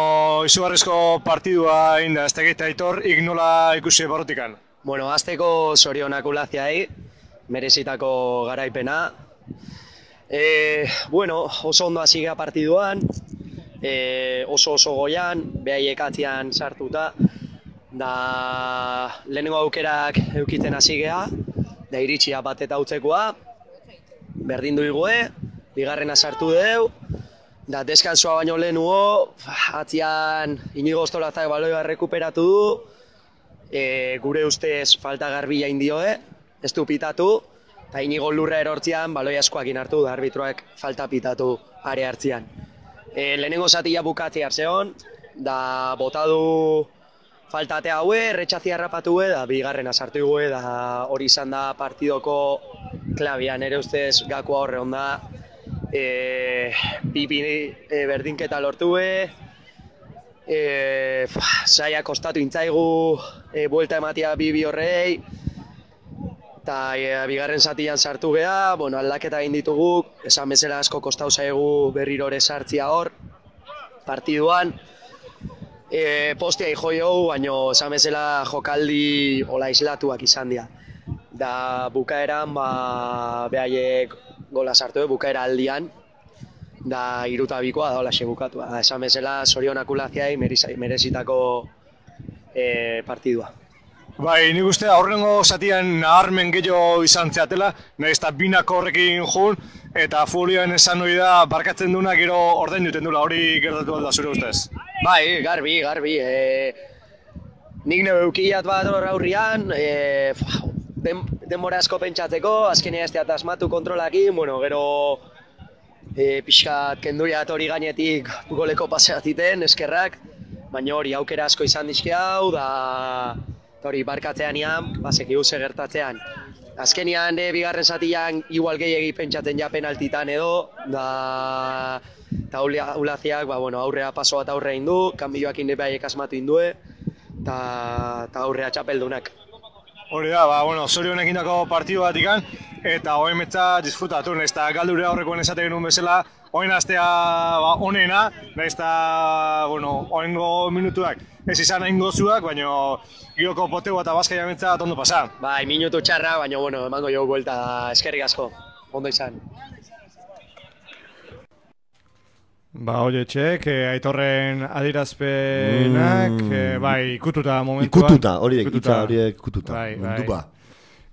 izugarrizko partidua egin da, ez tegite Aitor, ignola ikusi barrutikan. Bueno, azteko zorionak ulaziai, merezitako garaipena. E, bueno, oso ondo hasi gea partiduan, e, oso oso goian, behaiek atzian sartuta, da lehenengo aukerak eukitzen hasi gea, da iritsia bat eta utzekoa, berdin duigue, bigarrena sartu deu, da deskansoa baino lehenuo, atzian Inigo Ostolazak baloia rekuperatu du, e, gure ustez falta garbila indioe, ez du pitatu, eta Inigo lurra erortzian baloi askoakin hartu da arbitroak falta pitatu are hartzian. E, lehenengo zatia bukatzi hartzeon, da botadu faltate haue, erretxazia harrapatu da bigarrena sartu gue, da hori izan da partidoko klabian, ere ustez gakoa horre onda, e, bibi e, berdinketa lortu e, e, saia kostatu intzaigu e, buelta ematia bibi horrei, eta e, bigarren zatian sartu geha, bueno, aldaketa egin ditugu, esan bezala asko kostau zaigu berrirore sartzia hor, partiduan, e, postia ijo jogu, baina esan bezala jokaldi ola islatuak izan dira. Da bukaeran, ba, behaiek gola sartu, bukaera aldian, da iruta bikoa da holaxe bukatua. Esan bezala zorionak ulaziai merezitako e, partidua. Bai, nik uste aurrengo zatian naharmen gehiago izan zeatela, nahiz eta binako horrekin jun, eta futbolioan esan hori da barkatzen duna gero ordain duten dula, hori gertatu alda zure ustez? Bai, garbi, garbi. E, nik neu eukilat bat hor aurrian, e, den, denbora asko pentsatzeko, azkenea ez teat asmatu kontrolakin, bueno, gero e, pixkat kenduriat hori gainetik goleko paseatiten, eskerrak, baina hori aukera asko izan dizke hau, da hori barkatzean ian, baseki uze gertatzean. Azkenian, de, bigarren zatian, igual gehiagi pentsatzen ja penaltitan edo, da eta ulaziak, ba, bueno, aurrea paso bat aurrea indu, kanbioak indepaiek asmatu indue, eta aurrea txapeldunak. Hori da, ba, bueno, zorionek indako partidu bat ikan, eta hoen metza disfrutatu, nahiz eta galdure aurrekoen esate genuen bezala, hoen astea ba, onena, nahiz eta, bueno, hoengo minutuak ez izan hain gozuak, baina gioko poteu eta bazkaia metza ondo pasa. Bai, minutu txarra, baina, bueno, emango jo buelta, eskerrik asko, ondo izan. Ba, oie txek, eh, Aitorren adirazpenak, mm. eh, bai, ikututa momentuan. Ikututa, hori ikututa, hori ikututa, bai, bai. mundupa.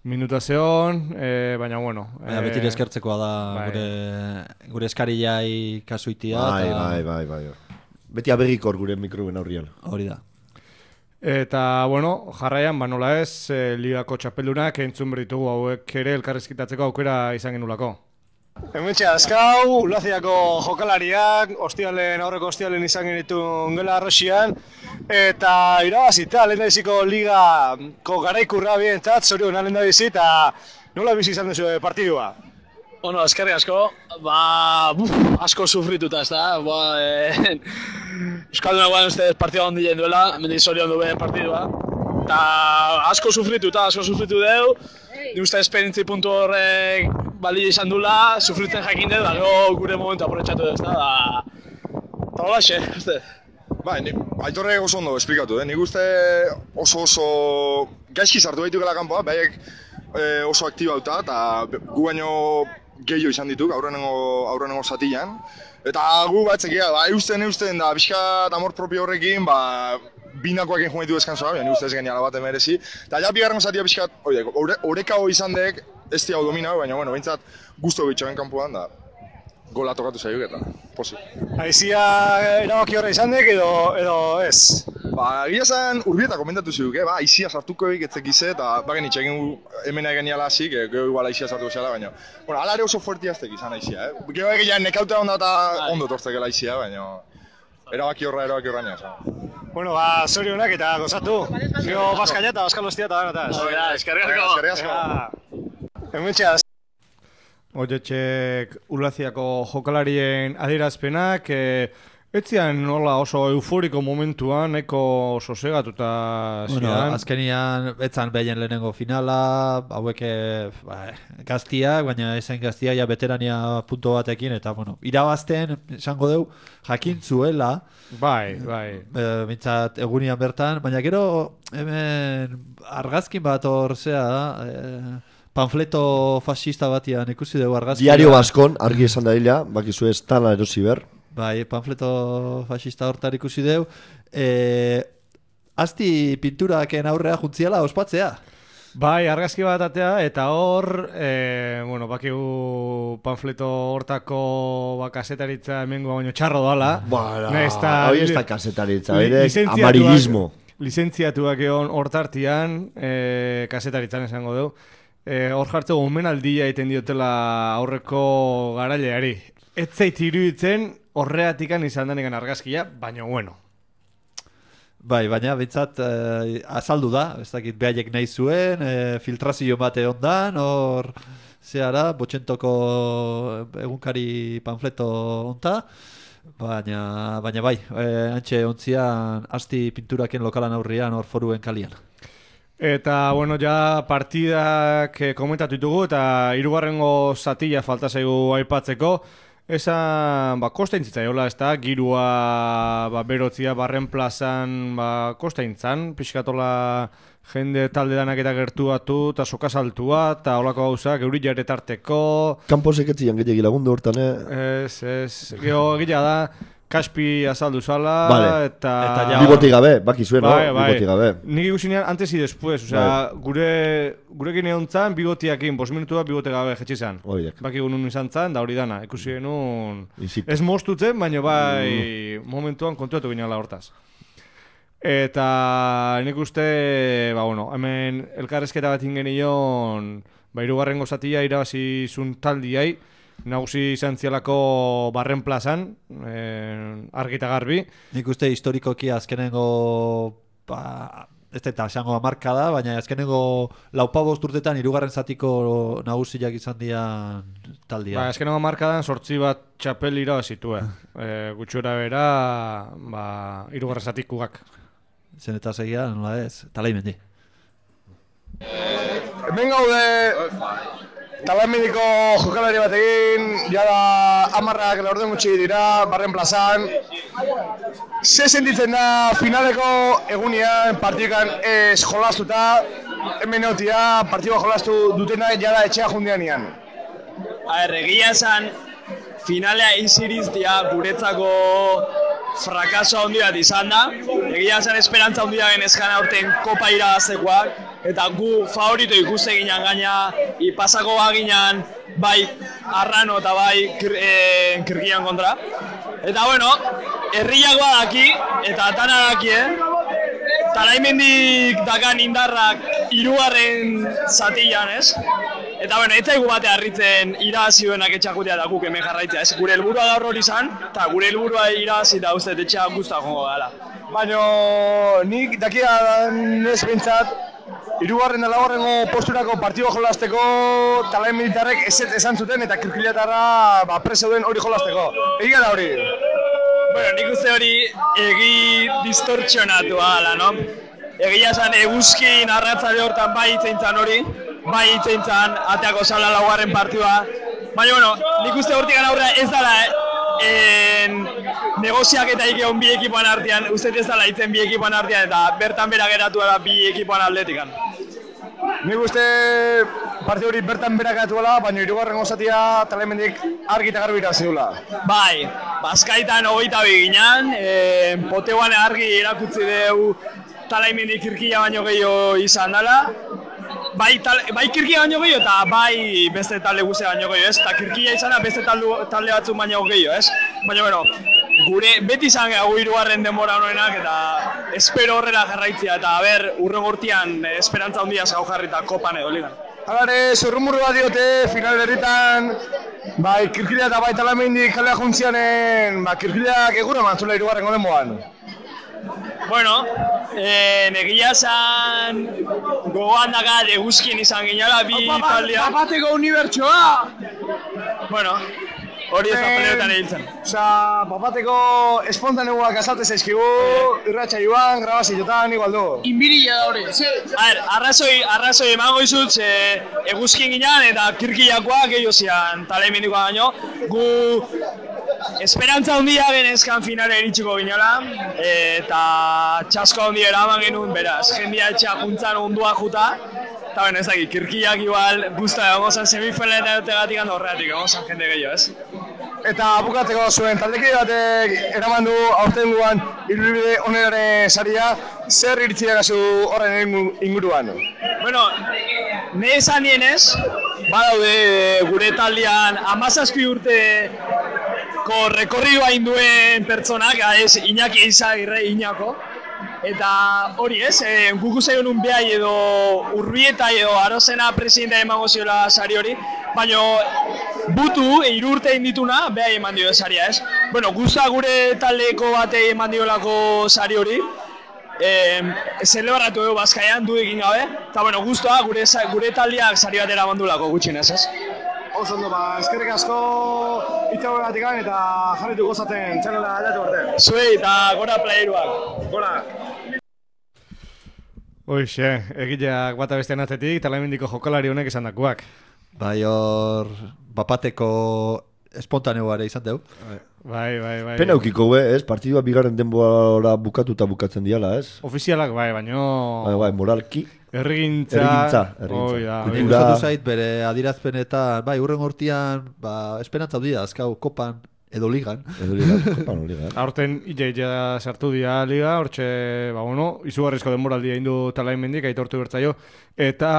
Minutazeon, eh, baina, bueno. Baina eh, beti eskertzekoa da bai. gure, gure eskarillai kasuitia. Bai, eta... bai, bai, bai. Beti abegikor gure mikroben aurrian. Hori da. Eta, bueno, jarraian, ba nola ez, eh, ligako txapeldunak entzun berritugu hauek ere elkarrizkitatzeko aukera izan genulako. Hementxe azkau, Ulaziako jokalariak, ostialen, aurreko ostialen izan genitun gela arroxian, eta irabazita, lehen da biziko ligako garaikurra bientzat, zorion lehen da bizi, eta nola bizi izan duzu partidua? Bueno, eskerrik asko, ba, buf, asko sufrituta, ez da, ba, e, Euskalduna guan ustez partidua ondi jen duela, hemen zorion du behen partidua, eta asko sufrituta, asko sufritu deu, ni uste esperientzi puntu horrek balio izan dula, sufritzen jakin dut, da gure momentu aprobetxatu dut, da, eta hola xe, uste. Bai, Aitorre oso ondo esplikatu, eh? Nik uste oso oso gaizki sartu gaitukela kanpoa, behaiek e, oso aktibauta, eta gu baino gehiago izan dituk, aurrenengo, aurrenengo zatian. Eta gu batzekia, ba, eusten, eusten, da, pixkat amor propio horrekin, ba, binakoak egin ditu deskansoa, baina ustez geniala bat emerezi. Eta ja bigarren zatia pixkat, oreka hori izan dek, ez hau domina, baina, bueno, behintzat guztu behitxoen kanpoan, da, gola tokatu zailuk eta posi. Aizia erabaki horre izan dek edo, edo ez? Ba, egia zen Urbieta komentatu ziduk, eh? Ba, aizia sartuko egik etzekize eta bagen itxegin hemen egin niala hasik, eh? Gero igual aizia sartuko zela, baina bueno, ala ere oso fuerti aztek izan aizia, eh? Gero egilean nekautea onda eta ondo tortzekela aizia, baina erabaki horra, erabaki horra nia. Bueno, ba, zorionak eta gozatu. Gero Baskaina eta Baskal Ostia eta danataz. Hora, eskerrik asko. Eskerrik asko. Hementxeaz. Oietxek Ulaziako jokalarien adierazpenak, e, etzian nola oso euforiko momentuan, eko sosegatuta zidan. Bueno, azkenian, etzan behien lehenengo finala, hauek ba, gaztiak, baina ezen gaztia ja veterania punto batekin, eta bueno, irabazten, esango deu, jakin zuela. Bai, bai. E, mintzat egunian bertan, baina gero hemen argazkin bat hor zea da, e, panfleto fascista batian ikusi dugu argazkia. Diario Baskon, argi esan da hila, bakizu ez tala erosi ber. Bai, panfleto fascista hortar ikusi dugu. E, Asti pinturaken aurrea juntziala ospatzea. Bai, argazki bat atea, eta hor, e, bueno, bakigu panfleto hortako ba, kasetaritza hemengo baino txarro dala. Bara, hori ez da kasetaritza, hori Licentziatuak- amarillismo. Lizentziatuak egon hortartian, e, kasetaritzan esango dugu. E, hor jartzeko omenaldia egiten diotela aurreko garaileari. Ez zait iruditzen horreatikan izan denegan argazkia, baina bueno. Bai, baina bintzat eh, azaldu da, ez dakit behaiek nahi zuen, eh, filtrazio bate ondan, hor zehara, botxentoko egunkari panfleto onta, baina, baina bai, eh, antxe ontzian asti pinturaken lokalan aurrian hor foruen kalian. Eta, bueno, ja partidak eh, komentatu ditugu eta hirugarrengo zatila falta zaigu aipatzeko. Esan, ba, kostaintzitzaiolaa, ez da, girua, ba, berotzia, barren plazan, ba, kostaintzan, pixkatola jende talde danak eta gertuatu, eta soka saltua, eta holako gauzak, euri jaretarteko. Kampo seketzian gehiagi lagundu hortan, eh? Ez, ez, gero egia da, Kaspi azaldu zala, vale. eta... eta ja, bigoti gabe, baki zuen, bai, no? Bai. Bigoti gabe. Nik ikusinean antes y después, osea, bai. gure, gurekin egon zan, bigotiakin, bost minutu bat bigote gabe jetxi zan. Oidek. Baki gunun izan zan, da hori dana, ikusi genuen... Ez mostutzen, baina bai mm. momentuan kontuatu ginala hortaz. Eta nik uste, ba, bueno, hemen elkarrezketa bat ingenion, ba, hirugarrengo zatia irabazi zun taldiai, nagusi izan zialako barren plazan, eh, argita garbi. Nik uste historikoki azkenengo, ba, ez eta esango marka da, baina azkenengo laupabost urtetan hirugarren zatiko nagusiak izan dian taldia. Ba, azkenengo markadan sortzi bat txapel irabazitue. eh, gutxura bera, ba, hirugarren zatikugak. Zen eta segia, nola ez, talaimendi. Hemen gaude... Talamidiko jokalari bat egin, jada amarrak laurden gutxi dira, barren plazan. Ze sentitzen da finaleko egunean partidukan ez jolastuta, hemen egotia partidua jolastu dutenak jada etxea jundian ian. A ber, egia esan, finalea iziriztia guretzako frakaso handi bat izan da. Egia esan esperantza handi da genezkan aurten kopa irabaztekoak. Eta gu favorito ikuste ginen gaina, ipasako baginan bai Arrano eta bai kir, e, Kirkian kontra. Eta bueno, herriakoa daki, eta atana daki, eh? Talaimendik dakan indarrak hirugarren zatian, ez? Eta bueno, ez zaigu bate harritzen irabazi duenak etxakutea da guk hemen jarraitzea, ez? Gure helburua gaur hori izan, eta gure helburua irabazi da uste etxea guztua jongo gala. Baina nik dakian ez bintzat, hirugarren eta laugarrengo posturako partidua jolasteko talain militarrek eset esan zuten eta kirkilatarra ba, preseuden hori jolasteko. Egia da hori? Bueno, nik uste hori egi distortzionatua gala, no? Egia esan eguzkin arratzale hortan bai itzeintzan hori, bai itzeintzan ateako zala laugarren partidua. Baina, bueno, nik uste hortik aurrera ez dala, en, negoziak eta egon bi ekipoan artean, uste ez dala itzen bi ekipoan artean, eta bertan bera geratu da bi ekipoan atletikan. Nik uste partida hori bertan berak gatuela, baina hirugarrengo zatia Talaimendik argi eta garbi irabazi duela. Bai, Bazkaitan hogeita bi ginen, e, Poteguan argi erakutsi dugu Talaimendik Kirkia baino gehiago izan dela. bai, tal, bai kirkia baino gehiago eta bai beste talde guzti baino gehiago, ez? Eta kirkia izana beste talde, talde batzuk baino gehiago, ez? Baina, bueno, gure beti izan gehiago hirugarren denbora honenak eta espero horrela jarraitzea eta ber, urren gortian esperantza handia zau jarrita kopan edo ligan. Halare, zurrumurru bat diote, final berritan, bai, kirkilea eta bai Talamendik kalea juntzianen, ba, kirkileak egura mantzula hirugarren denboran. Bueno, eh, egia esan gogoan dakat eguzkien izan ginela bi taldea. Papateko unibertsoa! Bueno, hori ez da peleotan egiltzen. Osa, papateko espontaneoak azaltez zaizkigu, irratxa joan, grabazioetan, igual du. Inbirila da hori. A ver, arrazoi, arrazoi emango izut, e, eguzkien ginean eta kirkilakoak gehiago zian Talemendikoa baino. Gu esperantza handia genezkan finale iritsiko ginela, eta txasko handia eraman genuen, beraz, jendia etxea juntzan ondua juta, eta ben ez dakit, kirkiak igual guzta egon zan semifinaletan egotegatik handa horreatik egon zan jende gehiago, ez? Eta bukatzeko zuen taldekide batek eraman du aurten guan ibilbide oneraren saria, zer iritziak azu horren inguruan? Bueno, ne esan nienez, badaude gure taldean hamazazpi urte ko rekorridoa induen pertsonak, ez Iñaki Izagirre, Iñako. Eta hori ez, e, guku zaion un behai edo Urbieta edo Arozena presidenta emango ziola sari hori, baina butu, hiru urte indituna, behai eman dio saria ez. Bueno, guzta gure taldeko batei eman diolako sari hori, e, zelebratu dugu Bazkaian, du egin gabe, eta bueno, guztua gure, gure taldeak sari batera bandulako gutxinez ez. Oso ondo, ba, eskerrik asko itxagoratik eta jarritu gozaten txanela aldatu arte. Zuei eta gora playeruak. Gora! Hoixe, egileak bata bestean atzetik, Talemendiko jokalari honek esan dakuak. Bai, hor, bapateko espontaneoare izan deu. Bai, bai, bai. Pena eukiko, ez? Partidua bigarren denbora bukatuta bukatzen diala, ez? Ofizialak, bai, baino... Bai, bai, moralki. Errigintza... Errigintza, errigintza. Oi, da, oi. Gustatu zait, bere adirazpenetan, bai, urren hortian, ba, esperantza dira, azkau, kopan, edo ligan. Edo ligan, kopan, o ligan. Aurten illa-illa sartu dira liga, hortxe, ba, bueno, izugarrizko denboraldia indu Talaimendik, aitortu bertzaio, eta,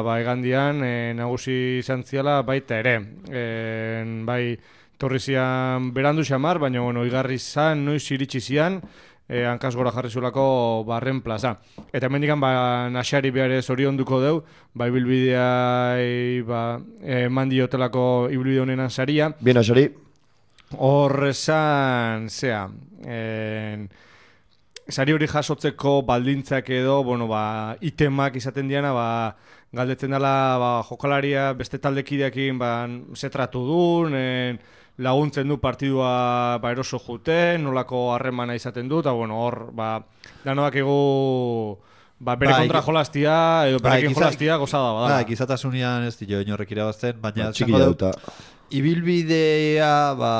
ba, egandian, e, nagusi izan ziala baita ere. E, bai, torri zian berandu xamar, baina, bueno, igarri zan, noiz iritsi zian, E, hankaz gora jarri zuelako barren plaza. Eta hemendikan ba, Naxari behar ez hori onduko deu, ba, ibilbidea ba, eman diotelako ibilbide honenan saria. Bien, Naxari. Horrezan, zea, en, sari hori jasotzeko baldintzak edo, bueno, ba, itemak izaten diana, ba, galdetzen dela ba, jokalaria beste taldekideekin ba, zetratu duen, en, laguntzen du partidua ba, eroso juten, nolako harremana izaten du, eta bueno, hor, ba, danoak egu ba, bere bai, kontra jolaztia, edo berekin bai, jolaztia gozada badala. Bai, gizatasunian ez dio inorrek irabazten, baina ba, txiki dauta. Ibilbidea, ba,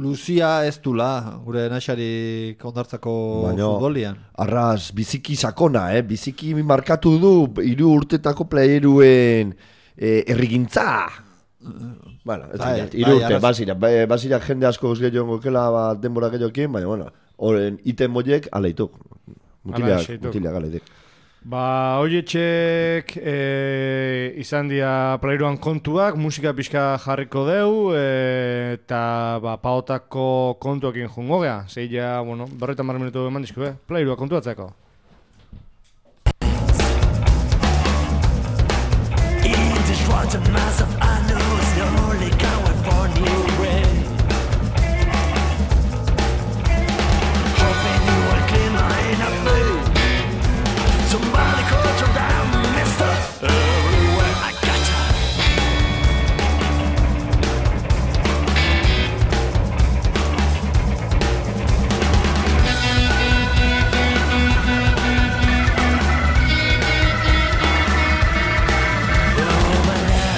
luzia ez dula, gure Naxari kondartzako futbolian. Arraz, biziki sakona, eh? Biziki markatu du, hiru urtetako playeruen eh, errigintza. Bueno, ez dira, hiru urte, basira, basira jende asko guzti joan gokela ba, denbora gehiokin, baina, bueno, horren iten moiek aleituk, mutiliak, mutiliak aleituk. Ba, horietxek e, izan dira playruan kontuak, musika pixka jarriko deu, e, eta ba, paotako kontuakin jungo gea, zeila, bueno, berroita mar minutu eman dizku, eh? Playrua kontuatzeko.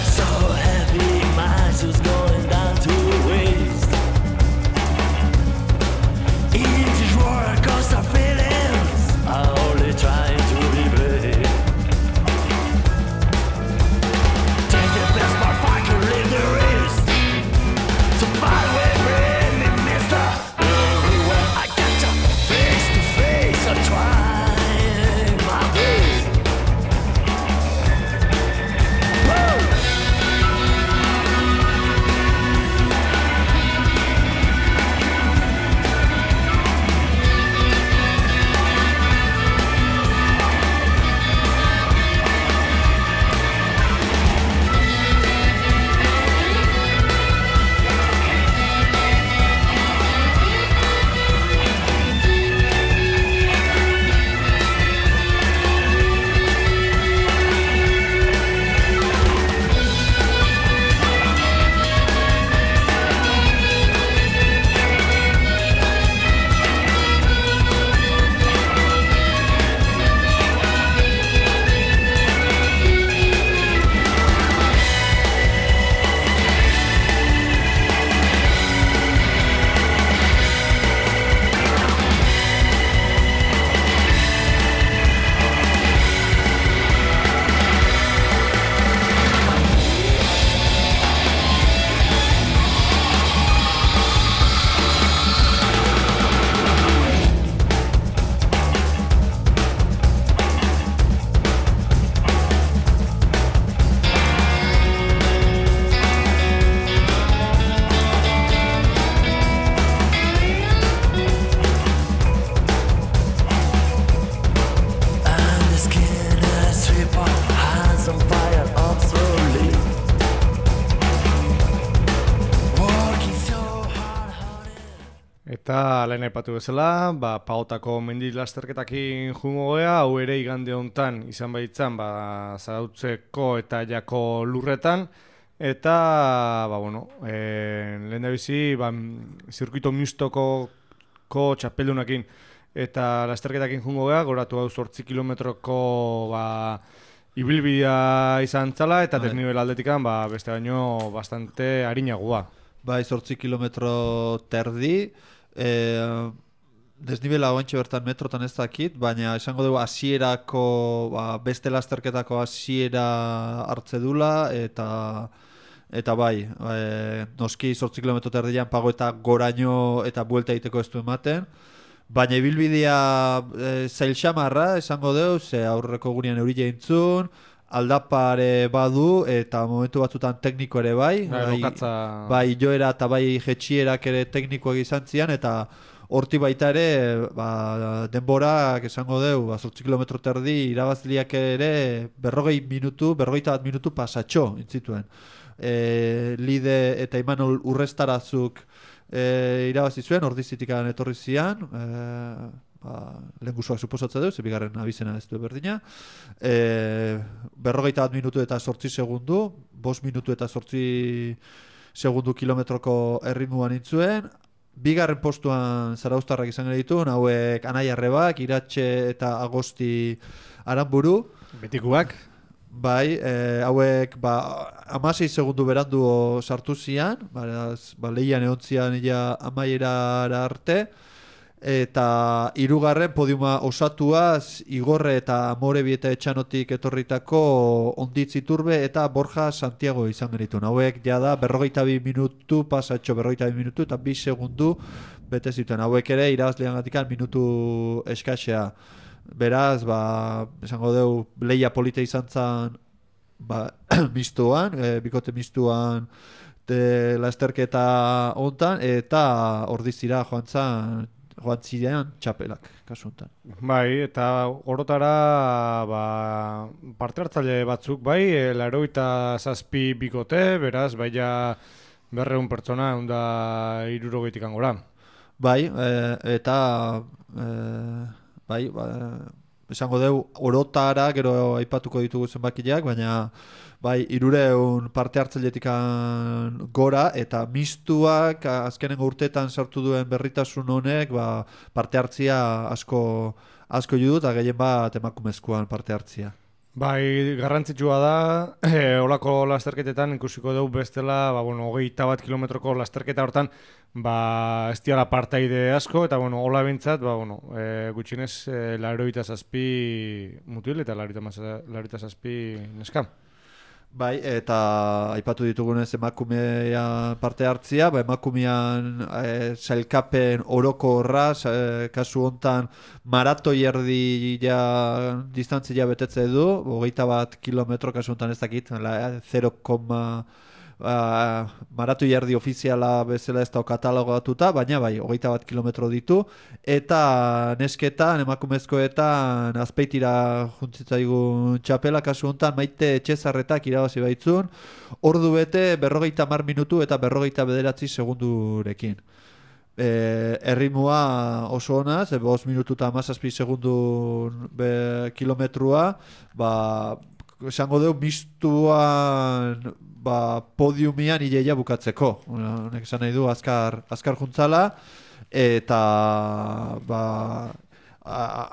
So Eta lehen aipatu bezala, ba, Pagotako mendi lasterketakin jungo gea, hau ere igande hontan izan baitzan, ba, Zarautzeko eta Jako lurretan, eta, ba, bueno, e, lehen da bizi, ba, zirkuito mistoko txapeldunakin eta lasterketakin jungo gea, goratu hau zortzi kilometroko, ba, ibilbidea izan zala, eta desnibel aldetikan, ba, beste baino bastante harinagoa. Bai, zortzi kilometro terdi, e, desnibela oantxe bertan metrotan ez dakit, baina esango dugu hasierako, ba, beste lasterketako hasiera hartze dula, eta eta bai, e, noski zortzi kilometro terdian pago eta goraino eta buelta egiteko ez du ematen, baina ibilbidea e, zail xamarra esango dugu, ze aurreko gunean eurile intzun, aldapare badu eta momentu batzutan tekniko ere bai, bai, bai joera eta bai jetxierak ere teknikoak izan zian, eta horti baita ere ba, denborak esango dugu, ba, zortzi kilometro terdi irabazliak ere berrogei minutu, berrogeita bat minutu pasatxo intzituen. E, Lide eta Imanol Urrestarazuk e, irabazi zuen, ordizitikan etorri zian, e, ba, lehen guzuak suposatza duz, bigarren abizena ez du berdina, e, berrogeita bat minutu eta sortzi segundu, bost minutu eta sortzi segundu kilometroko erritmuan intzuen, bigarren postuan zarauztarrak izan ditu, hauek Anai Arrebak, Iratxe eta Agosti Aranburu. Betikuak. Bai, e, hauek ba, hamasei segundu berandu sartu zian, ba, ba, lehian egon zian ja amaierara arte, eta hirugarren podiuma osatuaz Igorre eta Morebi eta Etxanotik etorritako Onditz Iturbe eta Borja Santiago izan genituen. Hauek jada berrogeita bi minutu pasatxo, berrogeita bi minutu eta bi segundu bete zituen. Hauek ere irabazlean gatikan minutu eskasea. Beraz, ba, esango dugu lehia polita izan zan ba, mistuan, e, bikote mistuan de lasterketa hontan, eta ordizira joan zan joan zirean txapelak, kasu honetan. Bai, eta orotara ba, parte hartzaile batzuk, bai, laurogeita zazpi bikote, beraz, bai ja berrehun pertsona, onda hirurogeitik gora. Bai, e, eta e, bai, ba, esango dugu orotara, gero aipatuko ditugu zenbakiak, baina bai, hirureun parte hartzailetikan gora, eta mistuak azkenengo urteetan sartu duen berritasun honek ba, parte hartzia asko asko judu, eta gehien bat emakumezkoan parte hartzia. Bai, garrantzitsua da, e, olako lasterketetan ikusiko dugu bestela, ba, bueno, hogeita bat kilometroko lasterketa hortan, ba, ez diala partaide asko, eta, bueno, hola bintzat, ba, bueno, e, gutxinez, e, laurogeita zazpi mutil, eta laurogeita zazpi neska. Bai, eta aipatu ditugunez emakumean parte hartzia, ba, emakumean e, sailkapen oroko horraz, e, kasu hontan maratoi erdi ja, distantzia betetze du, hogeita bat kilometro kasu hontan ez dakit, zero koma Uh, maratoi erdi ofiziala bezala ez da katalogatuta, baina bai, hogeita bat kilometro ditu, eta nesketan, emakumezkoetan azpeitira juntzitzaigun txapela, kasu honetan Maite Etxezarretak irabazi baitzun, ordu bete berrogeita hamar minutu eta berrogeita bederatzi segundurekin. E, erritmoa oso ona, ze bost minutu eta hamazazpi segundu be, kilometrua, ba, esango dugu mistuan ba, podiumian ileia bukatzeko. Honek esan nahi du azkar, azkar juntzala, eta ba,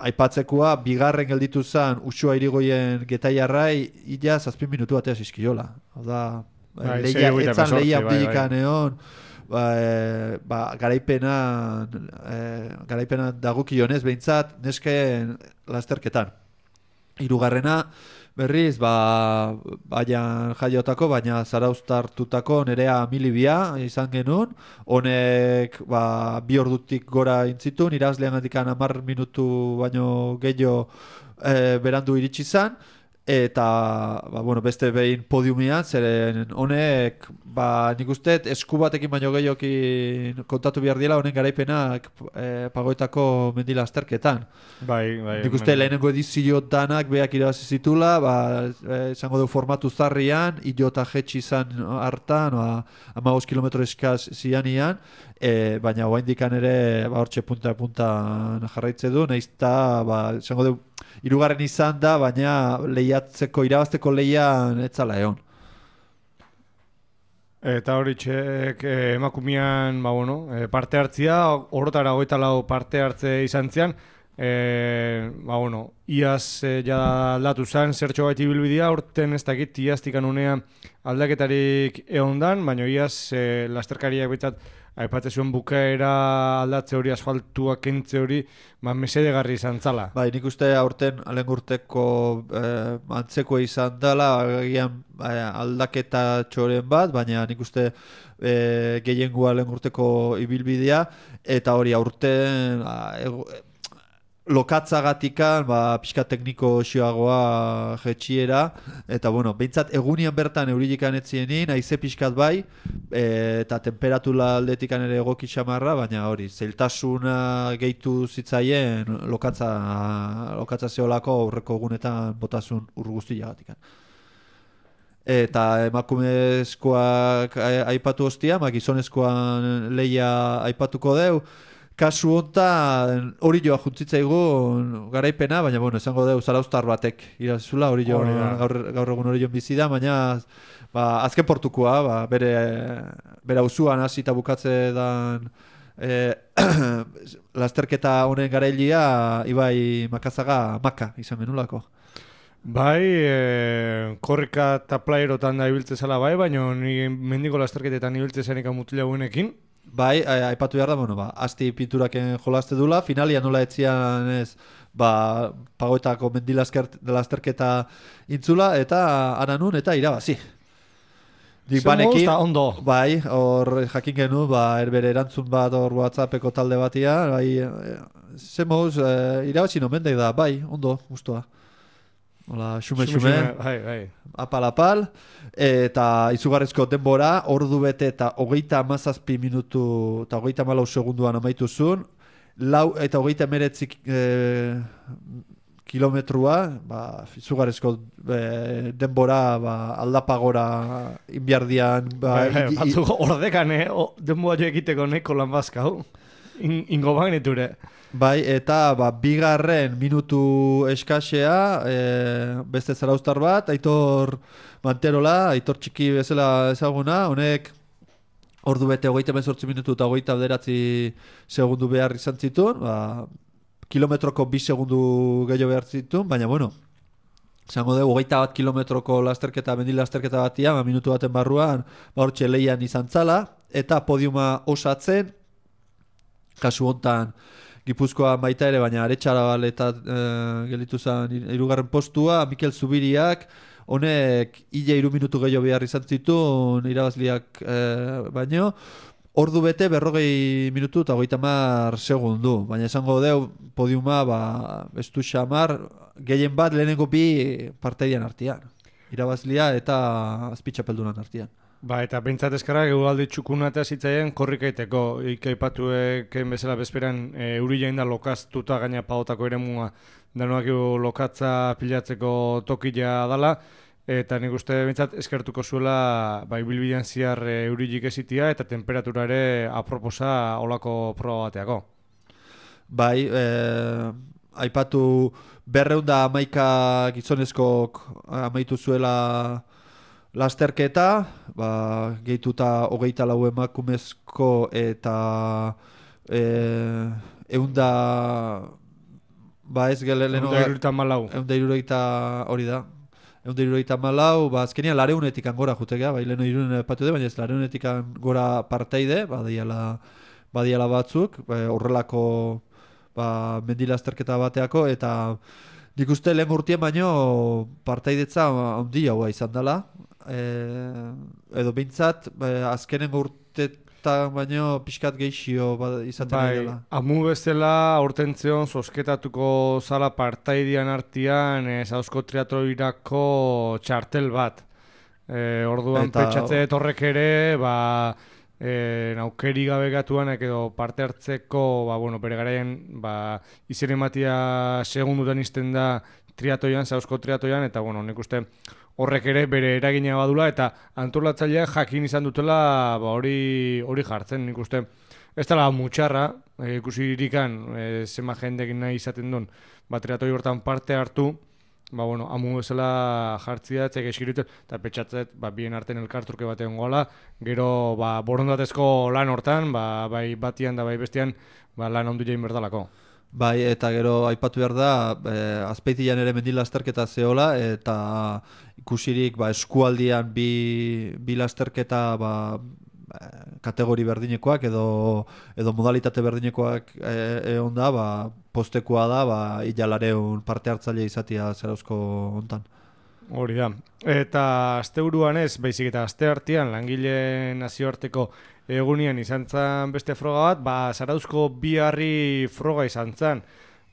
aipatzekoa bigarren gelditu zen Uxua Irigoyen Getaiarrai illa zazpin minutu batea zizkiola. Oda, bai, leia, etzan leia bai, abdilikan bai. Egon, ba, e, ba, garaipena e, garaipena dagukionez behintzat nesken lasterketan. Hirugarrena berriz, ba, baian jaiotako, baina zarauztartutako Nerea Milibia izan genuen, honek ba, bi ordutik gora intzitun, irazlean gandikan hamar minutu baino gehiago e, berandu iritsi zan, eta ba, bueno, beste behin podiumian, zeren honek, ba, nik uste esku batekin baino gehiokin kontatu behar diela honen garaipenak e, pagoetako mendila azterketan. Bai, bai. Nik uste lehenengo edizio danak beak irabazi zitula, ba, esango du formatu zarrian, ilo eta jetxi izan hartan, hamabost kilometro eskaz zianian, e, baina oaindikan ere ba, hortxe punta-punta jarraitze du, nahiz eta, ba, esango du, hirugarren izan da, baina lehiatzeko, irabazteko lehian etzala egon. Eta hori txek eh, emakumean ba, bueno, eh, parte hartzia, horretara hogeita lau parte hartze izan zian, eh, ba, bueno, iaz eh, ja aldatu zen zertxo baiti bilbidea, urten ez dakit iaztikan unea aldaketarik egondan, baina iaz eh, lasterkariak betzat aipatzen zuen bukaera aldatze hori, asfaltua kentze hori, ba, mesedegarri izan zala. Bai, nik uste aurten alengurteko eh, antzeko izan dela, agian eh, aldaketa txoren bat, baina nik uste eh, gehiengoa alengurteko ibilbidea, eta hori aurten eh, lokatzagatikan, ba, pixka tekniko xioagoa jetxiera, eta bueno, behintzat egunian bertan eurilikan etzienin, haize pixkat bai, e, eta temperatura aldetikan ere egoki xamarra, baina hori, zeiltasuna gehitu zitzaien lokatza, lokatza zeolako aurreko egunetan botasun ur guztiagatikan. Eta emakumezkoak aipatu hostia, ma gizonezkoan lehia aipatuko deu, kasu hontan hori joa juntzitzaigu garaipena, baina bueno, esango deu zarauztar batek irazula, hori jo gaur, gaur egun hori joan bizi da, baina ba, azken portukoa, ba, bere bere auzuan hasi eta bukatze dan e, lasterketa honen garailia Ibai Makazaga Maka izan menulako. Bai, e, korrika eta playerotan da ibiltze zela bai, baina ni mendiko lasterketetan ibiltze zenik mutila guenekin. Bai, aipatu behar da, bueno, ba, asti pinturaken jolaste dula, finalia nola etzian ez, ba, pagoetako mendilasterketa intzula, eta aranun, eta irabazi. Dik banekin, ondo. Bai, hor jakin genu, ba, erbere erantzun bat hor WhatsAppeko talde batia, bai, zemoz, e, irabazi nomendek da, bai, ondo, guztua. Hola, xume-xume, bai, bai. apal-apal, eta izugarrizko denbora, ordu bete eta hogeita hamazazpi minutu eta hogeita hamalau segunduan amaitu zuen, lau eta hogeita hemeretzi e, kilometrua, ba, izugarrizko e, denbora ba, aldapagora inbiardian. Ba, bai, bai, batzu ordekan, eh? denbora jo egiteko neko lan bazkau, In, ingo bagneture. Bai, eta ba, bigarren minutu eskasea, e, beste zarauztar bat, Aitor Manterola, Aitor txiki bezala ezaguna, honek ordu bete hogeita hemezortzi minutu eta hogeita bederatzi segundu behar izan zituen, ba, kilometroko bi segundu gehiago behar zituen, baina bueno, zango dugu hogeita bat kilometroko lasterketa, mendil lasterketa batia, ba, minutu baten barruan, ba, hortxe lehian izan zala, eta podiuma osatzen, kasu hontan, Gipuzkoa baita ere, baina Aretxarabal eta e, gelditu zen hirugarren postua, Mikel Zubiriak, honek hile hiru minutu gehiago behar izan zituen irabazliak e, baino, ordu bete berrogei minutu eta hogeita hamar segundu, baina esango deu podiuma ba, estu xamar, gehien bat lehenengo bi parteidian artean, irabazlia eta azpitxapeldunan artean. Ba, eta bentsat eskarrak egualdi txukuna eta zitzaien korrikaiteko. Ikaipatu eken bezala bezperan e, euri jain da lokaztuta gaina paotako ere mua danoak lokatza pilatzeko tokila dala. Eta nik uste bentsat eskertuko zuela ba, ibilbidean ziar e, eurilik ezitia eta temperatura ere aproposa olako proba bateako. Bai, e, aipatu berreunda amaika gizonezkok amaitu zuela lasterketa, ba, gehituta hogeita lau emakumezko eta e, eunda ba ez gele leno eunda irurogeita malau eunda irurogeita hori da eunda irurogeita malau, ba azkenian lareunetik gora jutegea, bai leno irunen patu de, baina ez lareunetik gora parteide, badiala, badiala batzuk, ba, horrelako ba, mendilasterketa bateako, eta nik uste lehen urtien baino partaidetza handi haua izan dela, e, edo behintzat e, azkenengo urte festak baino pixkat geixio izaten bai, dela. Amu bezala aurtentzion zozketatuko zala partaidian artian e, Zauzko triatloirako txartel bat. E, orduan Eta... pentsatze horrek ere, ba, e, aukeri gabe gatuanak edo parte hartzeko, ba, bueno, bere garaian, ba, izen ematia segundutan izten da triatoian, Zauzko triatoian, eta, bueno, nik uste horrek ere bere eragina badula, eta antolatzaileak jakin izan dutela ba, hori hori jartzen, nik uste. Ez dela mutxarra, e, ikusi irikan, e, zema jendekin nahi izaten duen, ba, triatoi hortan parte hartu, ba, bueno, amu bezala jartzia, etzek eskiritzen, eta petxatzet, ba, bien arten elkartruke batean goala, gero, ba, borondatezko lan hortan, ba, bai batian da bai bestian, ba, lan ondu jain berdalako. Bai, eta gero aipatu behar da, eh, azpeitian ere mendi lasterketa zehola, eta ikusirik ba, eskualdian bi, bi lasterketa ba, kategori berdinekoak edo, edo modalitate berdinekoak egon da, ba, postekoa da, ba, ilalareun parte hartzaile izatea Zarauzko hontan. Hori da. Eta asteburuan ez, baizik eta aste artean langile nazioarteko egunian izan zen beste froga bat, ba, Zarauzko bi harri froga izan zen.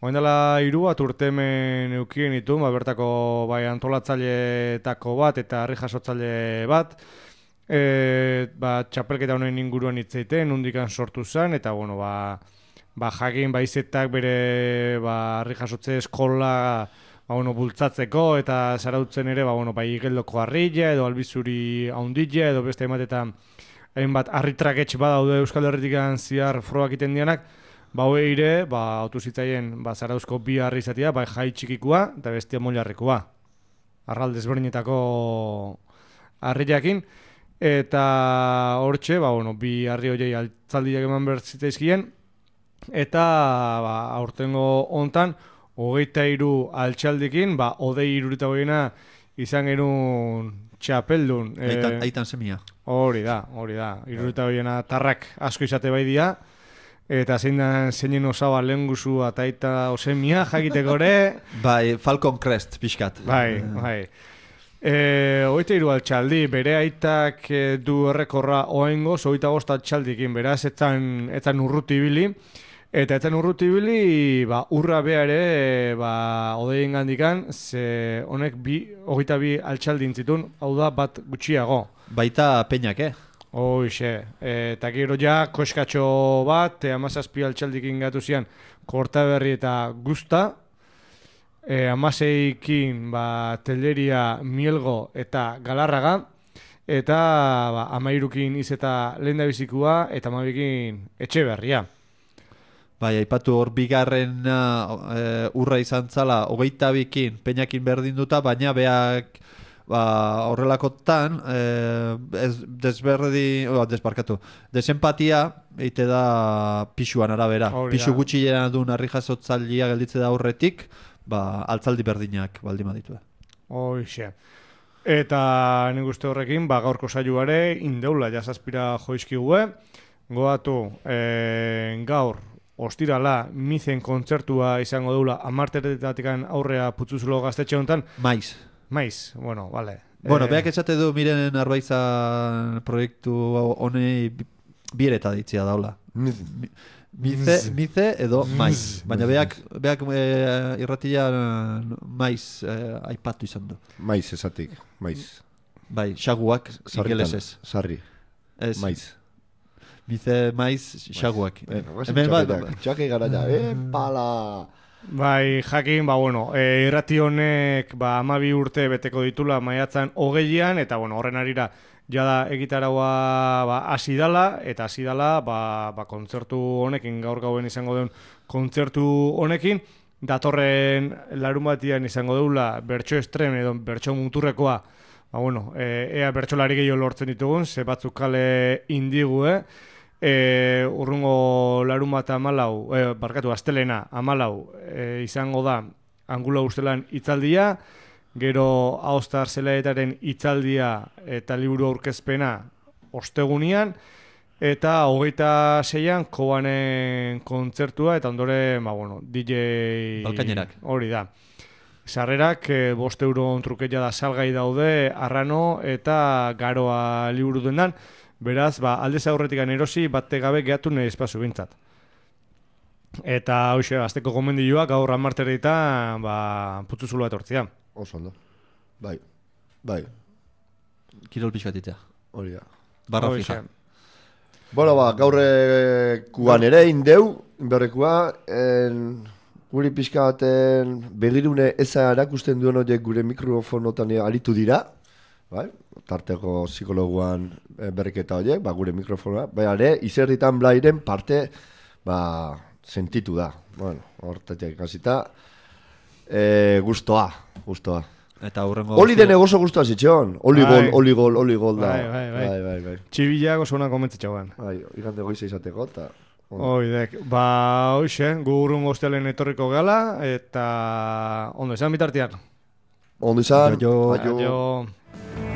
Oen dela hiru bat urtemen eukien ditu, ba, bertako bai, antolatzaileetako bat eta harri jasotzaile bat. E, ba, txapelketa honen inguruan hitzeiten, nondikan sortu zen, eta bueno, ba, ba, jakin baizetak bere ba, harri jasotze eskola ba, bueno, bultzatzeko, eta Zarautzen ere ba, bueno, bai, igeldoko harrilla edo albizuri haundilla edo beste ematetan hainbat harritraketx badaude Euskal Herritikan ziar frogak iten dianak, ba hoe ire, ba autu zitzaien ba Zarauzko bi harri izatea, bai jai txikikoa eta bestia moilarrekoa. Arral desberdinetako harriakin eta hortxe, ba bueno, bi harri hoiei altzaldiak eman behar zitzaizkien eta ba aurtengo hontan hogeita hiru altxaldikin, ba hodei hirurogeita hogeina izan genuen txapeldun. Aitan, e, aitan semia. Hori da, hori da. Hirurogeita hogeina tarrak asko izate bai dira. Eta zein da zeinen osaba lehen guzu eta aita osemia jakiteko ere. Bai, Falcon Crest, pixkat. Bai, bai. E, hogeita hiru altxaldi, bere aitak e, du errekorra oaingoz, hogeita bost altxaldikin, beraz, etzan, etzan urruti ibili. Eta etzan urruti ibili, ba, urra beha ere, ba, odeien gandikan, ze honek bi, hogeita bi altxaldi intzitun, hau da bat gutxiago. Baita peinak, eh? Hoixe, eta gero ja koskatxo bat, amazazpi altxaldikin gatu zian Kortaberri eta Guzta, e, amaseikin ba, Telleria, Mielgo eta Galarraga, eta ba, amairukin izeta lehendabizikua eta amabikin Etxeberria. Bai, aipatu hor bigarren uh, urra izan zala, hogeita bikin, peinakin berdin duta, baina beak ba, horrelakotan, eh, ez, desberdi, oh, desbarkatu, desempatia, eite da pixuan arabera. Hori Pixu da. gutxi jena duen harri jasotzaldia gelditze da aurretik, ba, altzaldi berdinak baldin baditu. Hoixe. Eta nik uste horrekin, ba, gaurko saioare, indeula jazazpira joizkigue, goatu e, gaur, ostirala, mizen kontzertua izango deula, amarteretatik aurrea putzuzulo gaztetxe honetan. Maiz. Maiz, bueno, vale. Bueno, eh, beak esate du miren Arbaizan proiektu honei biereta ditzia daula. Mize, mize edo maiz. Baina beak, beak e, irratia maiz e, aipatu izan du. Maiz esatik, maiz. Bai, xaguak ingelesez. Sarri. Ez. Maiz. Mize, maiz, xaguak. Hemen bat, txake gara ja, eh, pala... Bai, jakin, ba, bueno, e, irrati honek ba, amabi urte beteko ditula maiatzan hogeian, eta bueno, horren arira jada egitaraua ba, hasi dala, eta hasi dala ba, ba, kontzertu honekin, gaur gauen izango duen kontzertu honekin, datorren larun batian izango deula bertso estrem edo bertso muturrekoa, ba, bueno, e, ea bertsolari gehiago lortzen ditugun, ze batzuk kale indigu, eh? E, urrungo larun bat amalau, e, barkatu, astelena amalau e, izango da Angula Ustelan hitzaldia, gero Aostar Zelaetaren hitzaldia eta liburu aurkezpena ostegunian, eta hogeita seian Kobanen kontzertua, eta ondoren, ba, bueno, D J... Balkainerak. Hori da. Sarrerak, e, bost euro trukeia da salgai daude, Arrano eta Garoa liburu dendan. Beraz, ba, aldez aurretik erosi bate gabe gehatu nire espazu bintzat. Eta hoxe, azteko gomendioak gaur amarterita ba, putzuzulu bat hortzia. Oso ondo. Bai, bai. Kirol pixkatitea. Hori da. Barra fija. Bueno, ba, gaurrekuan ere indeu, inberrekua, en, guri pixka baten begirune eza erakusten duen horiek gure mikrofonotan aritu dira, bai? Tarteko psikologuan berriketa horiek, ba, gure mikrofonoa, bai, ere, izerritan blairen parte, ba, sentitu da. Bueno, hortatik ikasita, e, gustoa, gustoa. Eta hurrengo... Oli dene oso guztua zitxeon. Oli gol, oli gol, oli gol da. Bai, bai, bai. bai, bai, bai. Txibilak oso una komentzitxauan. Bai, igande goiza izateko, eta... Oidek, ba, hoxe, gu urrungo ostealen etorriko gala, eta ondo izan bitartian. Ondo izan, aio. aio. aio.